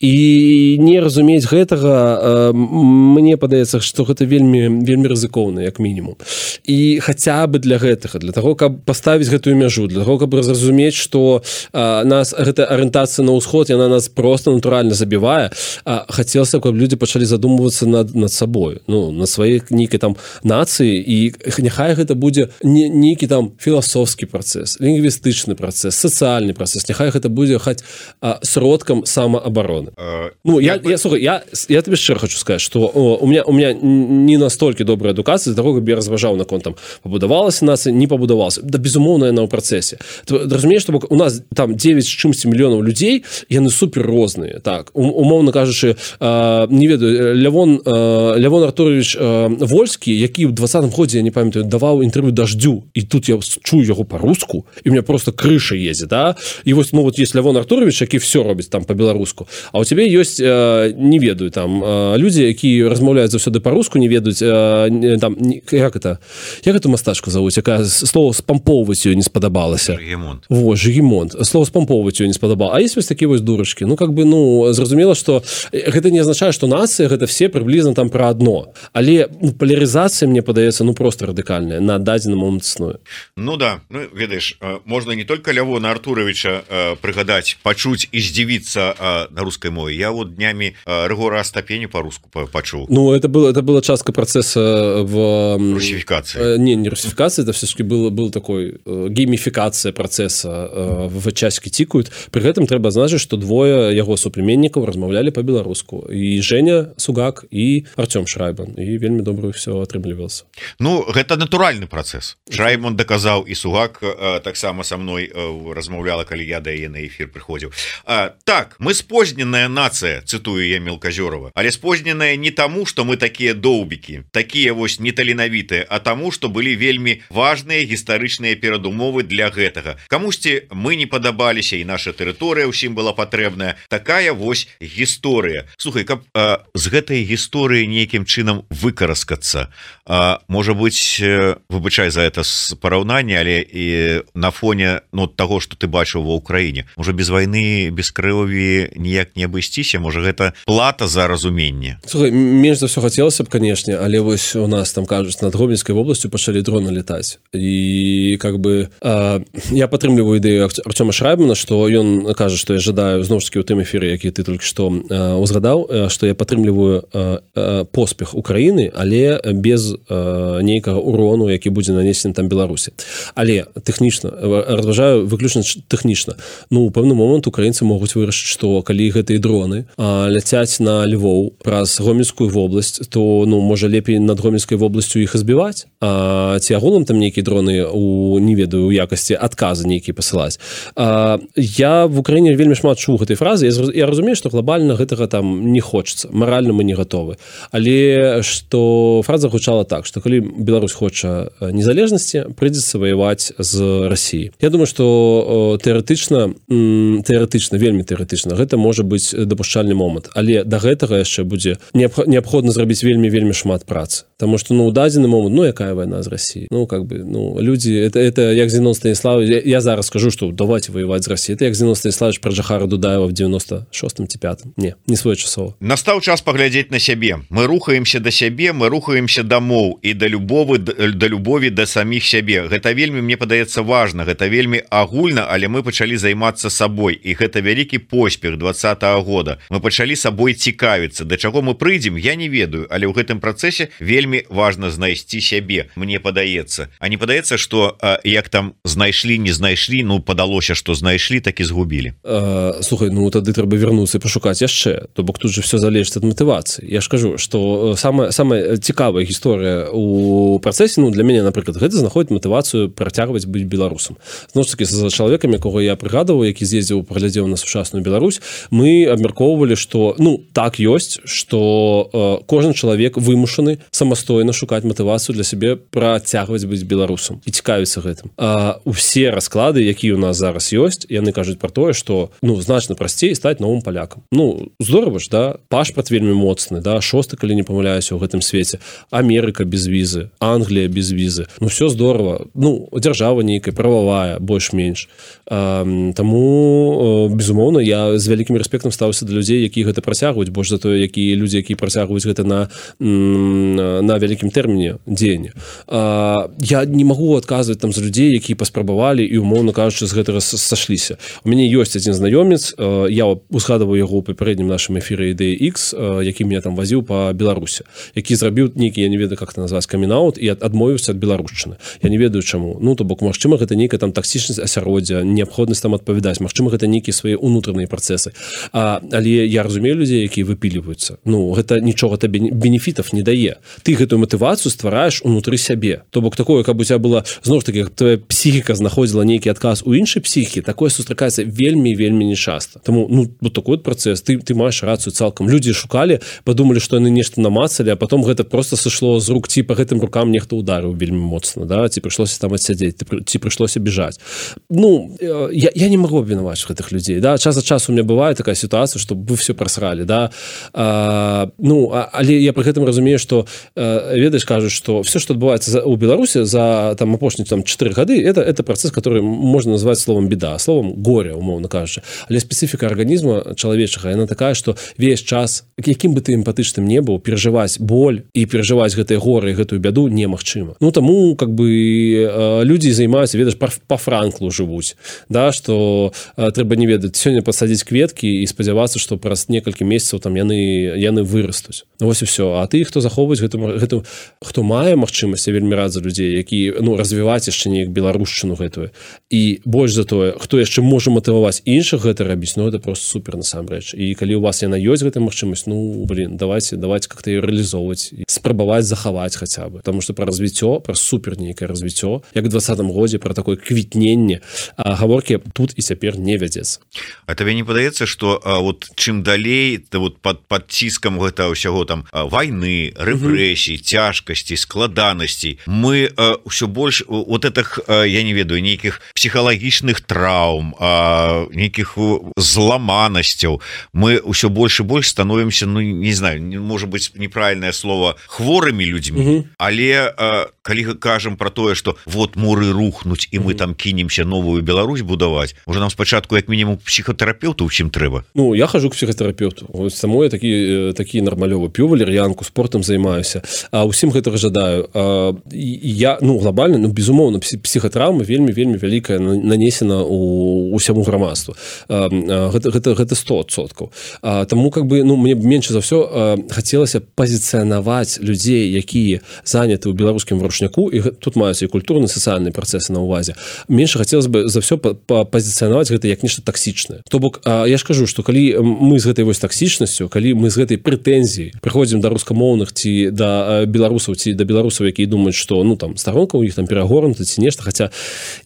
і не разумець гэтага мне падаецца что гэта вельмі вельмі рызыкоўна як мінімум і хаця бы для гэтага для того каб поставіць гэтую мяжу для того каб зразумець что нас гэта арыентацыя на ўсход яна нас просто натуральна забівае хацелася каб люди пачалі задумвацца над над сабой ну на сваёй нейкай там нацыі і няхай гэта будзе не нейкі там філасофскі працэс лінгвістычны працэс сацыяльны працэс няхай гэта будзе хаць сродкам самаабароны uh, ну я я, я слухай я я тебе шчыра хочу сказать что о, у меня у меня не настолькі добрая адукацыя для того каб я разважаў наконт там пабудавалася нацыя не пабудавалася да безумоўна яна ў працэсе разумееш што у нас там девять з чымсьці мільёнаў людзей яны супер розныя так умоўна кажучы не ведаю Лявон Лявон Артурович Вольскі які ў двадцатым годзе я не памятаю даваў інтэрв'ю даждю і тут я чую яго по-руску і у меня просто крыша ездзе да і вось ну вот есть Лявон Артурович які все робіць там по-беларуску а у тебе ёсць не ведаю там людзі які размаўляюць заўсёды по-руску не ведаюць там як это як эту мастачку завуць якая слово спампоўваць ёй не спадабалася во Жігімонт слово спампоўваць ёй не спадабала а есть вось такія вось дурачкі ну как бы ну зразумела что гэта не азначае что нацыя гэта все прыблізна там про одно але ну, полярызацыя мне падаецца ну просто радыкальная на дадзены момант існуе ну да ну ведаеш можна не только Лявона Артуровича э, прыгадаць пачуць і здзівіцца э, на рускай мове я вот днямі э, Рыгора Астапеню по-руску пачуў ну это было это была частка процесса в русификации э, не не русификации это все-таки было был такой э, геймификация процесса э, в часики тикают при этом трэба значыць что двое яго суплеменнікаў размаўлялі по-беларуску і Женя Сугак і Артём Шрайбан і вельмі добрую все атрымлівался ну гэта натуральны процесс Шрайбан доказаў і Сугак э, таксама со мной э, размаўляла калі я да яе на эфир прыходзіў э, так мы спозненая нацыя цытую я Мелказёрова але спозненая не таму что мы такія доўбікі такія вось неталенавітыя а таму что былі вельмі важныя гістарычныя перадумовы для гэтага камусьці мы не падабаліся і наша тэрыторыя ўсім была патрэбная такая вось гісторыя слухай каб э, з гэтай гісторыі нейкім чынам выкараскацца э, можа быть э, выбачай за это параўнанне але і на фоне ну того что ты бачыў ва ўкраіне можа без вайны без крыві ніяк не абысціся можа гэта плата за разуменне слухай менш за все хацелася б канешне але вось у нас там кажуць над Гомельскай вобласцю пачалі дроны летаць і как бы э, я падтрымліваю ідэю Артёма Шрайбмана что ён кажа что я жадаю зноў ж таки у тым эфіры які ты только што э, узгадаў что я падтрымліваю э, э, поспех Украіны але без э, нейкага урону які будзе нанесены там Беларусі але тэхнічна разважаю выключна тэхнічна ну у пэўны момант украінцы могуць вырашыць что калі гэтыя дроны э, ляцяць на Львоў праз Гомельскую вобласць то ну можа лепей над Гомельскай вобласцю іх збіваць а ці агулам там нейкія дроны у не ведаю у якасці адказы нейкія пасылаць а, я в Украіне вельмі шмат чуў гэтай фразы я, я разумею что глобальна гэтага там не хочется маральна мы не готовы але что фраза гучала так что калі Беларусь хоча незалежнасці прыйдзецца ваяваць з Россией я думаю что тэарэтычна тэарэтычна вельмі тэарэтычна гэта можа быць дапушчальны момант але да гэтага яшчэ будзе неабходна зрабіць вельмі вельмі шмат працы потому что ну у дадзены момант ну якая война з Россией. Ну, как бы, ну, люди, это, это як Зенон Станиславович, я, я зараз скажу, что давайте воевать с Россией. Это як Зенон Станиславович про Джахара Дудаева в девяносто шостом ці пятом. Не, не своечасова. Настаў час паглядзець на сябе. Мы рухаемся да сябе, мы рухаемся дамоў і да любовы, да любові да саміх сябе. Гэта вельмі, мне падаецца, важна, гэта вельмі агульна, але мы пачалі займацца сабой, і гэта вялікі поспех двадцатага года. Мы пачалі сабой цікавіцца. Да чаго мы прыйдзем, я не ведаю, але ў гэтым працэсе вельмі важна знайсці сябе, мне падаецца. А не падаецца, што як там знайшлі, не знайшлі, ну падалося, што знайшлі, так і згубілі. А, слухай, ну тады трэба вярнуцца і пашукаць яшчэ, то бок тут же все залежыць ад матывацыі. Я ж кажу, што самая самая цікавая гісторыя у працэсе, ну для мяне, напрыклад, гэта знаходзіць матывацыю працягваць быць беларусам. Зноў ж такі за чалавекам, якога я прыгадываў, які з'ездзіў, паглядзеў на сучасную Беларусь, мы абмяркоўвалі, што ну так ёсць, што э, кожны чалавек вымушаны самастойна шукаць матывацыю для сябе працягваць быць беларусам і цікавіцца гэтым. А усе расклады, якія у нас зараз ёсць, яны кажуць пра тое, што ну значна прасцей стаць новым палякам. Ну здорава ж, да, пашпарт вельмі моцны, да, шосты, калі не памыляюся, ў гэтым свеце. Амерыка без візы, Англія без візы. Ну все здорава. Ну дзяржава нейкая прававая, больш-менш. А, таму безумоўна, я з вялікім рэспектам стаўся да людзей, якія гэта працягваюць, больш за тое, якія людзі, якія працягваюць гэта на на вялікім тэрміне дзеяння. А, я не магу адказваць там за людзей, якія паспрабавалі і умоўна кажучы з гэтага сашліся. У мяне ёсць адзін знаёмец, я узгадываў яго ў папярэднім нашым эфіры Ідэя Ікс, які меня там вазіў па Беларусі, які зрабіў нейкі, я не ведаю, як это назваць, камін-аут і адмовіўся ад беларушчыны. Я не ведаю чаму. Ну то бок магчыма гэта нейкая там таксічнасць асяроддзя, неабходнасць там адпавядаць, магчыма гэта нейкія свае унутраныя працэсы. А, але я разумею людзей, якія выпіліваюцца. Ну гэта нічога табе бенефітаў не дае. Ты гэтую матывацыю ствараеш унутры сябе. То бок такое, каб у цябе была зноў ж такі, твоя псіхіка знаходзіла нейкі адказ у іншай псіхікі, такое сустракаецца вельмі вельмі нечаста. Таму ну вот такой вот працэс, ты ты маеш рацыю цалкам. Людзі шукалі, падумалі, што яны нешта намацалі, а потом гэта просто сышло з рук, ці па гэтым рукам нехта ударыў вельмі моцна, да, ці прыйшлося там адсядзець, ці прыйшлося біжаць. Ну я, я не магу абвінаваць гэтых людзей, да, час ад часу у меня бывае такая сітуацыя, што вы все прасралі, да. А, ну а, але я пры гэтым разумею, што ведаеш, кажуць, што все, што адбываецца у Беларусі за там апошнія там чатыры гады, это это працэс, который можна назваць словом беда, словом горе, умоўна кажучы. Але спецыфіка арганізма чалавечага, яна такая, што весь час, якім бы ты эмпатычным не быў, перажываць боль і перажываць гэтыя горы і гэтую бяду немагчыма. Ну таму как бы людзі займаюцца, ведаеш, па Франклу жывуць, да, што трэба не ведаць, сёння пасадзіць кветкі і спадзявацца, што праз некалькі месяцаў там яны яны вырастуць. Вось і все. А ты, хто захоўваюць гэту гэту, хто мае магчымасць, я вельмі рад за людзей, які ну развіваць яшчэ неяк беларушчыну гэтую. І больш за тое, хто яшчэ можа матываваць іншых гэта рабіць, ну это просто супер насамрэч. І калі у вас яна ёсць гэта магчымасць, ну блин, давайте давайте как-то ее реалізоўваць, спрабаваць захаваць хаця бы, потому что про развіццё, про супер нейкае развіццё, як у двадцатым годзе про такое квітненне, а гаворкі тут і цяпер не вядзецца. А табе не падаецца, што а, вот чым далей то вот под под ціскам гэта ўсяго там вайны, рэпрэсій, цяжкасцей, складанасцей, мы ўсё больш вот этих, я не ведаю, нейкіх псіхалагічных траўм, нейкіх зламанасцяў, мы ўсё больш і больш становімся, ну не знаю, может быть неправільнае слово, хворымі людзьмі, угу. Але калі кажам про тое, что вот муры рухнуць і мы угу. там кінемся новую Беларусь будаваць, уже нам спачатку як мінімум псіхатэрапеўту ў чым трэба. Ну я хожу к псіхатэрапеўту, само я такі такі нармалёвы п'ю валер'янку, спортам займаюся, а усім гэтага жадаю. А, я ну глобальна, ну безумоўна, псіхатраўма вельмі вельмі вялікая нанесена у усяму грамадству. А, гэта гэта гэта сто адсоткаў. А, таму как бы ну мне менш за ўсё хацелася пазіцыянаваць людзей, якія заняты ў беларускім варушняку, і тут маюцца і культурны сацыяльныя працэсы на ўвазе. Менш хацелася бы за ўсё пазіцыянаваць гэта як нешта таксічнае. То бок я ж кажу, што калі мы з гэтай вось таксічнасцю, калі мы з гэтай прэтэнзіяй прыходзім да рускамоўных ці да беларусаў ці да беларусаў, якія думаюць, што ну там старонка ў іх там перагорнута ці нешта, хаця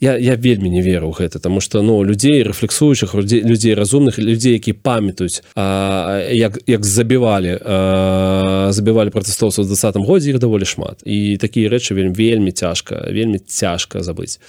я я вельмі не веру ў гэта, таму што ну людзей рэфлексуючых, людзей, людзей разумных, людзей, якія памятаюць, а, як як забівалі а, забівалі пратэстоўцаў у двадцатым годзе, іх даволі шмат. І такія рэчы вельмі вельмі цяжка, вельмі цяжка забыць.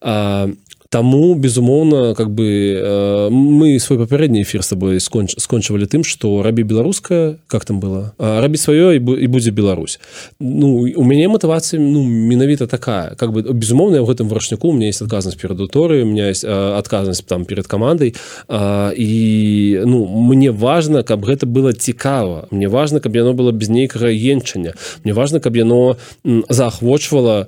А, Таму безумоўна как бы мы свой папярэдні эфір с тобой сконч, скончвалі тым что рабі беларускае как там было рабі сваё і будзе Беларусь. Ну у мяне матывацыя ну менавіта такая как бы безумоўна я в гэтым варшняку у меня есть адказнасць перад аўдыторыяй, у меня есть адказнасць там перед камандай і ну мне важно каб гэта было цікава, мне важно каб яно было без нейкага енчання, мне важно каб яно заахвочвала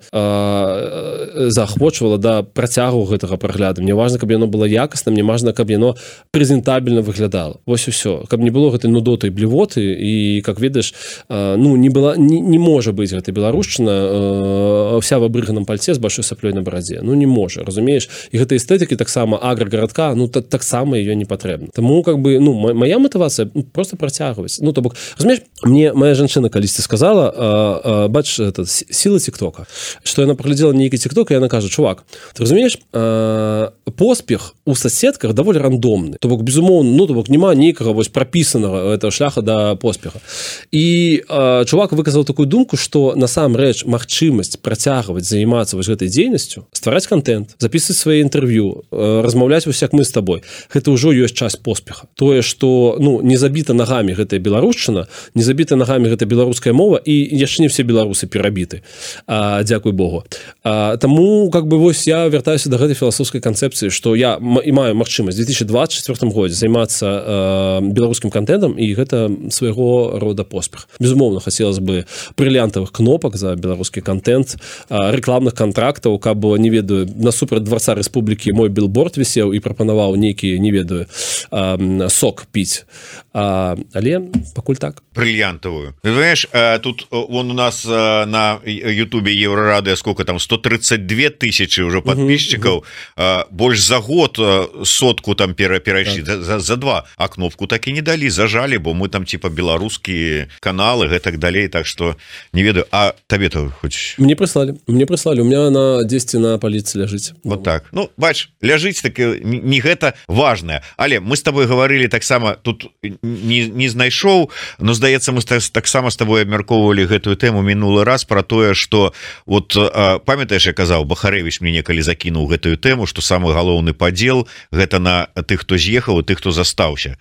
заахвочвала да працягу гэтага прагляду, мне важно каб яно было якасна, мне важно каб яно прэзентабельна выглядала. Вось і ўсё, каб не было гэтай нудоты і блівоты і как ведаеш ну не была не, не можа быць гэта беларушчына вся в абрыганым пальце з большой саплёй на барадзе, ну не можа, разумееш, і гэтай эстэтыкі таксама аграгарадка ну таксама ее не патрэбна. Таму как бы ну моя матывацыя ну, просто працягваць, ну то бок разумееш, мне моя жанчына калісьці сказала а, а, бач это сила тиктока, что яна праглядзела нейкі тикток і яна кажа чувак, ты разумееш а, поспех у соседках даволі рандомны, то бок безумоўна ну то бок няма нейкага вось прапісанага этого шляха да поспеха. І а, чувак выказаў такую думку, что насамрэч магчымасць працягваць займацца вось гэтай дзейнасцю, ствараць контент, записывать свае інтэрв'ю, размаўляць вось як мы з табой, гэта ўжо ёсць часть поспеха. Тое что ну не забіта нагамі гэтая беларушчына, не забіта нагамі гэта беларуская мова і яшчэ не все беларусы перабіты, а, дзякуй Богу. А, таму как бы вось я вяртаюся да гэтай філасофскай канцэпцыі, што я і маю магчымасць у две тысячи двадцать четвёртым годзе займацца беларускім контентам і гэта свайго рода поспех. Безумоўна хацелось бы брыльянтавых кнопак за беларускі контент, рэкламных контрактаў, каб не ведаю насупраць дварца рэспублікі мой билборд вісеў і прапанаваў нейкі не ведаю сок піць, а, але пакуль так брыльянтавую. Знаешь, тут вон у нас на ютубе Еврорадио сколько там сто тридцать две тысячи уже подписчиков, uh-huh, uh-huh. больше за год сотку там перайшлі так. за, за два, а кнопку так і не далі, зажалі, бо мы там типа беларускія каналы гэтак далей, так что не ведаю. А табе-то хоць мне прыслалі мне прыслалі у меня на дзесьці на паліцы ляжыць вот так. Ну бач, ляжыць так не гэта важное, але мы с тобой говорили таксама тут не, не знайшоў, но здаецца мы таксама с тобой абмяркоўвалі гэтую тэму мінулы раз про тое, что вот памятаеш я казаў, Бахарэвіч мне некалі закінуў гэтую тэму, что самы галоўны падзел гэта на тых хто з'ехаў і тых хто застаўся.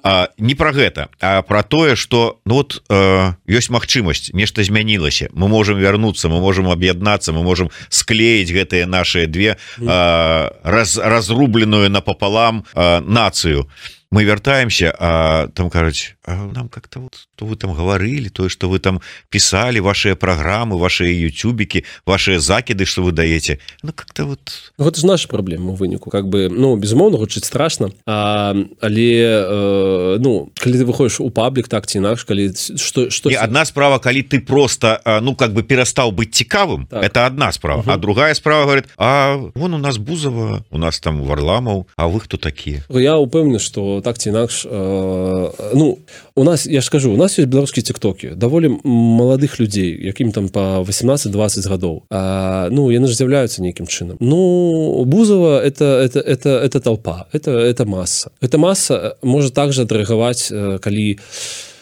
А, не про гэта, а про тое, что ну вот ёсць магчымасць, нешта змянілася, мы можем вярнуцца, мы можем аб'яднацца, мы можем склеіць гэтыя наши две а, раз, разрубленную напополам а, нацыю. Мы вяртаемся, а там кажуць, а нам как-то вот то вы там говорили, то, что вы там писали, ваши программы, ваши ютубики, ваши закиды, что вы даете, ну как-то вот ну, это же наша проблема у выніку, как бы ну безумоўна гучыць страшно, а, але э, ну калі ты выходишь у паблік так ці інакш, калі что что одна справа, калі ты просто ну как бы перастаў быць цікавым, так. Это одна справа, угу. А другая справа говорит, а вон у нас Бузова, у нас там Варламов, а вы кто такие? Я упэўнены, что так ці інакш э, ну у нас я ж скажу, у нас есть беларускія тиктоки даволі маладых людзей, якім там по восемнадцать двадцать гадоў, а, ну яны ж з'яўляюцца нейкім чынам. Ну Бузова это это это это толпа, это это масса, эта масса можа также адрэагаваць, калі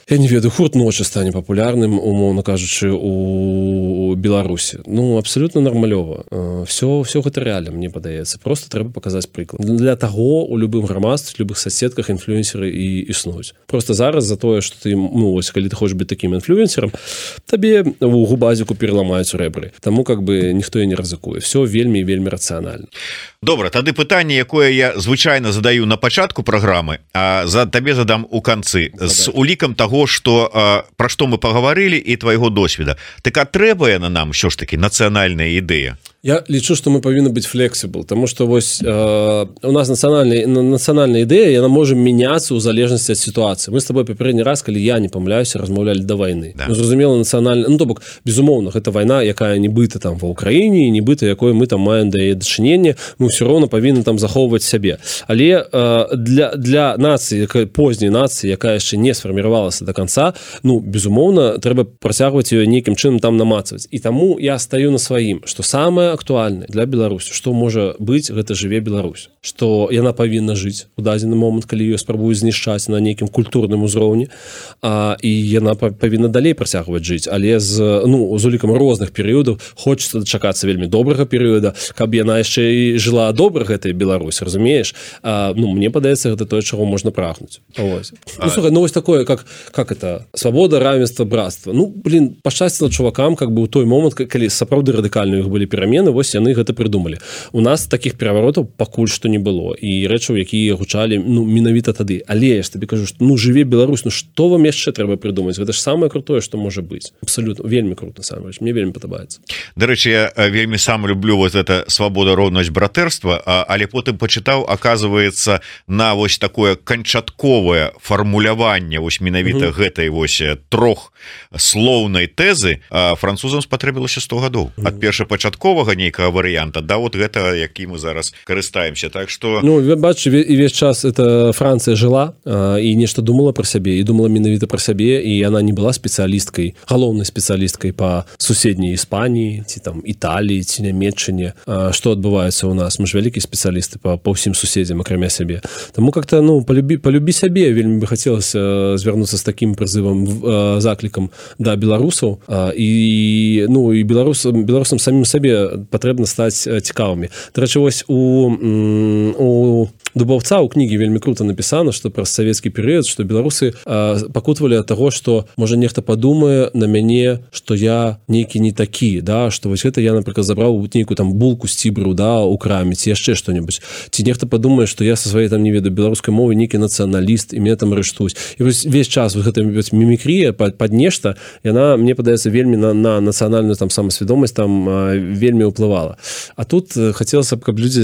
я не ведаю хурт ночы стане папулярным, умоўна кажучы, у Беларусі. Ну абсолютно нармалёва, все все гэта рэальна, мне падаецца, просто трэба паказаць прыклад. Для таго у любым грамадстве, любых соседках інфлюэнсеры і існуюць. Просто зараз за тое, что ты ну ось калі ты хочаш быць таким інфлюэнсерам, табе у губазіку пераламаюць рэбры. Таму как бы ніхто і не рызыкуе. Все вельмі вельмі рацыянальна. Добра, тады пытанне, якое я звычайна задаю на пачатку праграмы, а за табе задам у канцы з улікам таго, что про што мы паговорили і твайго досведа. Так а трэба яна нам що ж таки нацыянальная ідэя? Я лічу, што мы павінны быць флексібл, тому што вось э, у нас нацыянальная нацыянальная ідэя, яна можа мяняцца ў залежнасці ад сітуацыі. Мы з тобой папярэдні раз, калі я не памыляюся, размаўлялі да вайны. Да. Ну, зразумела, нацыянальная, ну то бок безумоўна, гэта вайна, якая нібыта там ва Ўкраіне, нібыта якой мы там маем да яе дачыненне, мы ўсё роўна павінны там захоўваць сябе. Але э, для для нацыі, якая позняй нацыі, якая яшчэ не сфарміравалася до конца, ну безумоўна, трэба працягваць ее нейкім чынам там намацаваць. І таму я стаю на сваім, што самае актуальны для Беларусі, што можа быць гэта жыве Беларусь, што яна павінна жыць у дадзены момант, калі ёй спрабуюць знішчаць на нейкім культурным узроўні, а, і яна павінна далей працягваць жыць, але з, ну, з улікам розных перыядаў хочацца дачакацца вельмі добрага перыяда, каб яна яшчэ і жыла добра гэтай Беларусь, разумееш? А, ну, мне падаецца, гэта тое, чаго можна прагнуць. Ось. Ну, слухай, ну, вось такое, как, как это, свабода, равенство, братство. Ну, блин, пашчасціла чувакам, как бы, у той момант, калі сапраўды радыкальныя іх былі перамены, вось яны гэта прыдумалі. У нас такіх пераваротаў пакуль што не было, і рэчаў, якія гучалі, ну, менавіта тады. Але я ж табе кажу, што, ну, жыве Беларусь, ну, што вам яшчэ трэба прыдумаць? Гэта ж самае крутое, што можа быць. Абсалютна, вельмі круто, насамрэч. Мне вельмі падабаецца. Дарэчы, я вельмі сам люблю вот это свабода, роўнасць, братэрства, але потым пачытаў, аказваецца, на вось такое канчатковае фармуляванне вось менавіта угу. гэтай вось трох слоўнай тэзы французам спатрэбілася сто гадоў. Угу. Ад першапачатковага нейкага варыянта да вот гэта, які мы зараз карыстаемся. Так што... Ну, бачу, і весь час это Францыя жыла і нешта думала пра сябе, і думала менавіта пра сябе, і яна не была спецыялісткай, галоўнай спецыялісткай па суседняй Іспаніі, ці там Італіі, ці Нямецчыне. Што адбываецца ў нас? Мы ж вялікія спецыялісты па, па ўсім суседзям, акрамя сябе. Таму как-то, ну, полюбі, полюбі сябе, вельмі бы хацелася звярнуцца з такім прызывам, заклікам да беларусаў, і, ну, і беларусам, беларусам самім сабе патрэбна стаць цікавымі. Дарэчы, вось у, у Дубаўца ў кнігі вельмі круто напісана, што праз савецкі перыяд, што беларусы пакутвалі ад таго, што можа нехта падумае на мяне, што я нейкі не такі, да, што вось гэта я, напрыклад, забраў нейкую там булку з цібру, да, у краме, ці яшчэ што-небудзь. Ці нехта падумае, што я са сваёй там не ведаю беларускай мовы нейкі нацыяналіст, і мяне там арыштуюць. І вось весь час вот гэта мімікрія пад, пад нешта, яна, мне падаецца, вельмі на, на нацыянальную там самасвядомасць там вельмі ўплывала. А тут хацелася б, каб людзі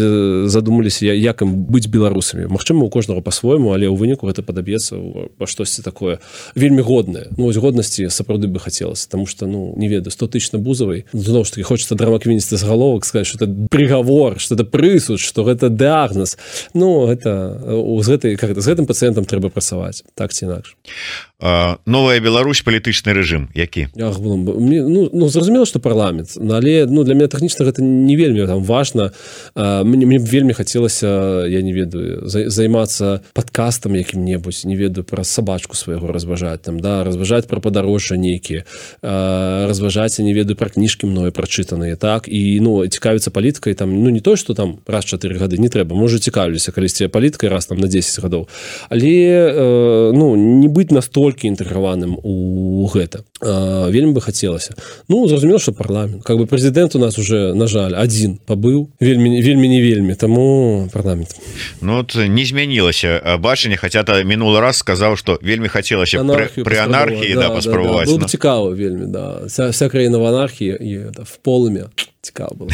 задумаліся, як ім быць беларусамі. Магчыма, у кожнага па-свойму, але ў выніку гэта падаб'ецца па штосьці такое вельмі годнае. Ну, вось годнасці сапраўды бы хацелася, таму што, ну, не ведаю, сто тысяч на Бузавай. Зноў ж такі, хочацца драмаквіністы з галовак сказаць, што это прыгавор, што это прысуд, што гэта дыягназ. Ну, гэта, з, гэтай, как это, з гэтым пацыентам трэба працаваць, так ці інакш. Новая Беларусь, палітычны рэжым, які? Ах, мне, ну, ну, зразумела, што парламент, але, ну, для мяне тэхнічна гэта не вельмі там важна. Мне, мне вельмі хацелася, я не ведаю, займацца падкастам якім-небудзь, не ведаю, пра сабачку свайго разважаць, там, да, разважаць пра падарожжа нейкія, разважаць, не ведаю, пра кніжкі мною прачытаныя, так, і, ну, цікавіцца палітыкай, там, ну, не то, што там раз чатыры гады, не трэба, можа, цікавіліся калісьці палітыкай раз там на дзесяць гадоў, але, ну, не быць настолькі інтэграваным у гэта. Вельмі бы хацелася. Ну, зразумела, што парламент. Как бы прэзідэнт у нас уже, на жаль, адзін пабыў, вельмі, вельмі не вельмі, таму парламент. Ну, вот не змянілася бачанне, хаця та мінулы раз сказаў, што вельмі хацелася пры, пры анархіі, да, да, паспрабаваць. Да, да. Было бы цікава вельмі, да. Вся, вся краіна в анархіі і да, в полымя. Цікава было.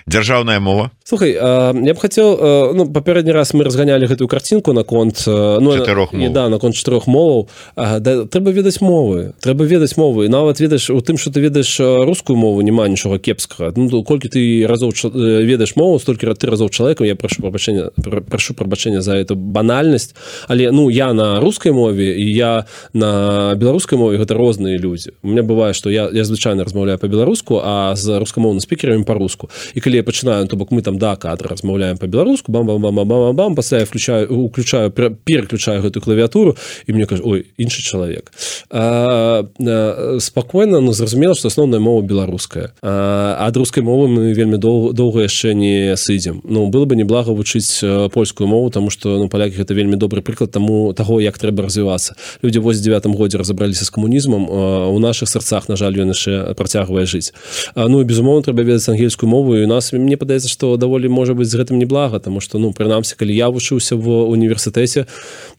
Дзяржаўная мова? Слухай, я б хацеў, ну, папярэдні раз мы разганялі гэтую карцінку наконт, ну, чатырох мов. Да, наконт чатырох моваў. Да, трэба ведаць мовы. Трэба ведаць мовы. І нават ведаеш, у тым, што ты ведаеш рускую мову, няма нічога кепскага. Ну, колькі ты разоў ведаеш мову, столькі ты разоў чалавекам, я прашу прабачэння, прашу прабачэння за эту банальнасць, але, ну, я на рускай мове і я на беларускай мове, гэта розныя людзі. У меня бывае, што я, я звычайна размаўляю па-беларуску, а з рускамоўным спікерамі па-руску. І калі я пачынаю, то бок мы там да кадра размаўляем па-беларуску, бам-бам-бам-бам-бам-бам, пасля я включаю, уключаю, переключаю гэтую клавіатуру, і мне кажу, ой, іншы чалавек. А, а, спакойна, ну, зразумела, што асноўная мова беларуская. А ад рускай мовы мы вельмі доў, доўга яшчэ не сыдзем. Ну, было бы неблага вучыць польскую мову, таму што, ну, палякі гэта вельмі добры прыклад таму таго, як трэба развівацца. Людзі ў восемьдесят девятым годзе разабраліся з камунізмам, а у нашых сэрцах, на жаль, ён яшчэ працягвае жыць. А, ну, і безумоўна, трэба ведаць ангельскую мову, і у нас, мне падаецца, што даволі можа быць з гэтым неблага, таму што, ну, прынамсі, калі я вучыўся в універсітэце,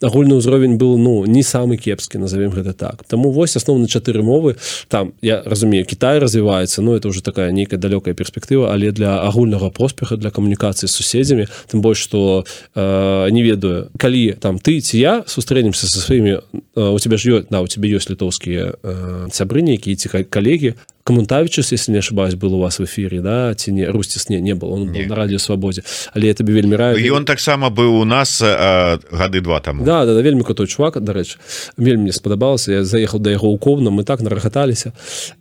агульны ўзровень быў, ну, не самы кепскі, назовем гэта так. Таму вось асноўна чатыры мовы, там, я разумею, Кітай развіваецца, ну, это уже такая нейкая далёкая перспектыва, але для агульнага поспеха, для камунікацыі з суседзямі, тым больш, што э, не ведаю, калі там ты ці я сустрэнемся са сваімі, э, у тебя ж ёсць, да, у тебя ёсць літоўскія э, сябры нейкія ці калегі, Камунтавічус, если не ошибаюсь, был у вас в эфире, да, ці не, Рустис не, не был, он не. Был на радио Свободе, але я тебе вельмі раю. И он так само был у нас а, гады два тому. Да, да, да, вельмі крутой чувак, до речі, вельмі мне сподобался, я заехал до яго ў Ковна, мы так нарагаталіся.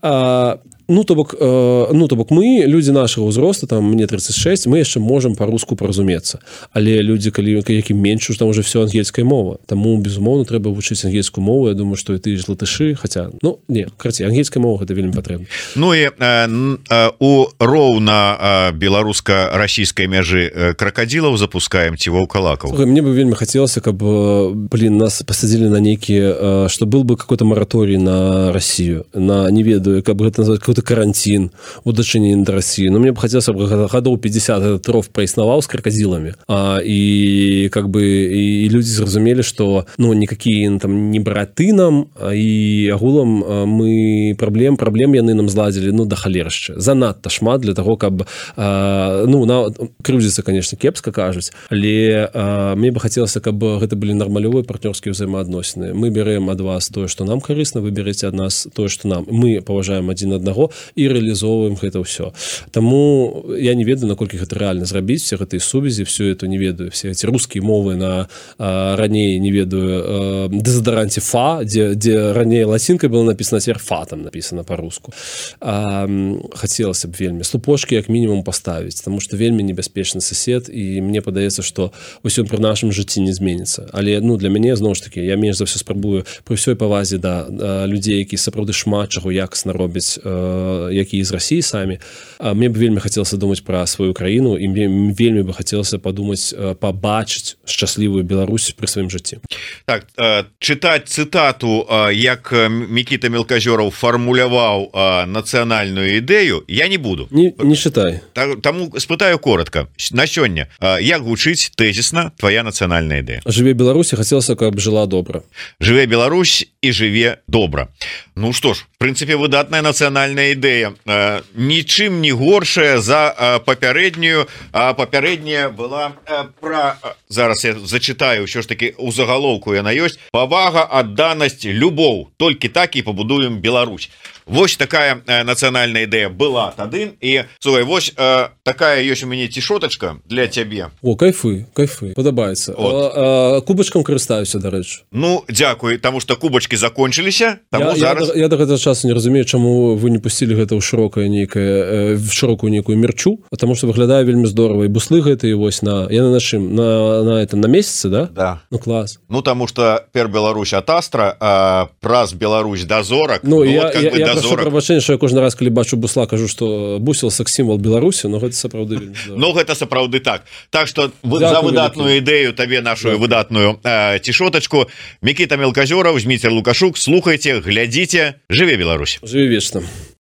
А, Ну то бок э, ну то бок мы люди нашего ўзросту, там мне тридцать шесть, мы яшчэ можем по-руску паразумецца, але люди калі якім менш там уже все ангельская мова, таму безумоўно трэба вучыць ангельскую мову. Я думаю, что і ты ж латышы, хотя ну не карці ангельская мова гэта вельмі патрэбна. Ну і э, э, у роўна э, беларуска-расійскай мяжы кракадзілаў запускаем ці ваўкалакаў. Мне бы вельмі хацелася, каб блин нас пасадзілі на нейкі, что был бы какой-то мораторий на Россию, на не ведаю, каб гэта назваць какой-то карантин у дачыненні да России. Но мне бы хацелася гадоў пятьдесят этот ров праіснаваў з кракадзіламі, а, і как бы і люди зразумелі, что ну никакие там не браты нам, і агулам мы праблем праблем яны нам зладзілі ну да халершчы занадта шмат для того, каб а, ну на крыўдзіцца конечно кепска кажуць, але а, мне бы хацелася, каб гэта былі нармалёвыя партнёрскія ўзаемаадносіны. Мы берем ад вас тое, что нам карысна, вы берете ад нас тое, что нам, мы паважаем адзін аднаго і рэалізоўваем гэта ўсё. Таму я не ведаю, наколькі гэта рэальна зрабіць, все гэтыя сувязі, все это не ведаю, все эти рускія мовы на а, раней не ведаю дэзадаранце фа, дзе, дзе раней лацінкай было написано, цяпер фа там написано по-руску. А, хацелася б вельмі слупошки як мінімум паставіць, тому что вельмі небяспечны сосед, і мне падаецца, что усё пры нашым жыцці не зменіцца. Але ну для мяне зноў ж таки я менш за все спрабую пры ўсёй павазе да людзей, які сапраўды шмат чаго якасна робяць, э, які з России самі. А мне б вельмі хацелася думаць пра сваю краіну, і мне вельмі бы хацелася падумаць, пабачыць шчаслівую Беларусь пры сваім жыцці. Так, э, чытаць цытату, э, як Мікіта Мелказёраў фармуляваў э, нацыянальную ідэю, я не буду. Не, не чытай. Таму спытаю коротко. На сёння, э, як гучыць тэзісна твоя нацыянальная ідэя? Жыве Беларусь, хацелася, каб жыла добра. Жыве Беларусь і жыве добра. Ну што ж, в прынцыпе, выдатная нацыянальная ідэя. Э, нічым не горшая за э, папярэднюю, а папярэдняя была э, пра... Зараз я зачытаю, ўсё ж таки у загалоўку яна ёсць. Павага, адданасць, любоў. Толькі так і пабудуем Беларусь. Вось такая э, нацыянальная ідэя была тады. І слухай, вось э, такая ёсць у мяне цішотачка для цябе. О, кайфы, кайфы, падабаецца. А, а, кубачкам карыстаюся, дарэчы. Ну, дзякуй, таму што кубачкі закончыліся. Таму я, зараз... я, я до гэтага часу не разумею, чаму вы не пусцілі гэта ў шырокае нейкае, в шырокую нейкую мерчу, потому что выглядае вельмі здорава. І буслы гэтыя вось на... Яны на чым? На, на, это, на месяцы, да? Да. Ну, клас. Ну, таму што пер Беларусь ад Астра, а праз Беларусь да зорак. Ну, ну я, вот, как я, бы, я да прошу прабачэння, што я кожны раз, калі бачу бусла, кажу, што бусел секс-сімвал Беларусі, но гэта сапраўды вельмі здорава. Ну, гэта сапраўды так. Так што за выдатную ідэю табе нашу Дякую. выдатную э, цішотачку. Мікіта Мелказёраў, Зміцер Лукашук, слухайце, глядзіце, жыве Беларусь. Жыве вечна.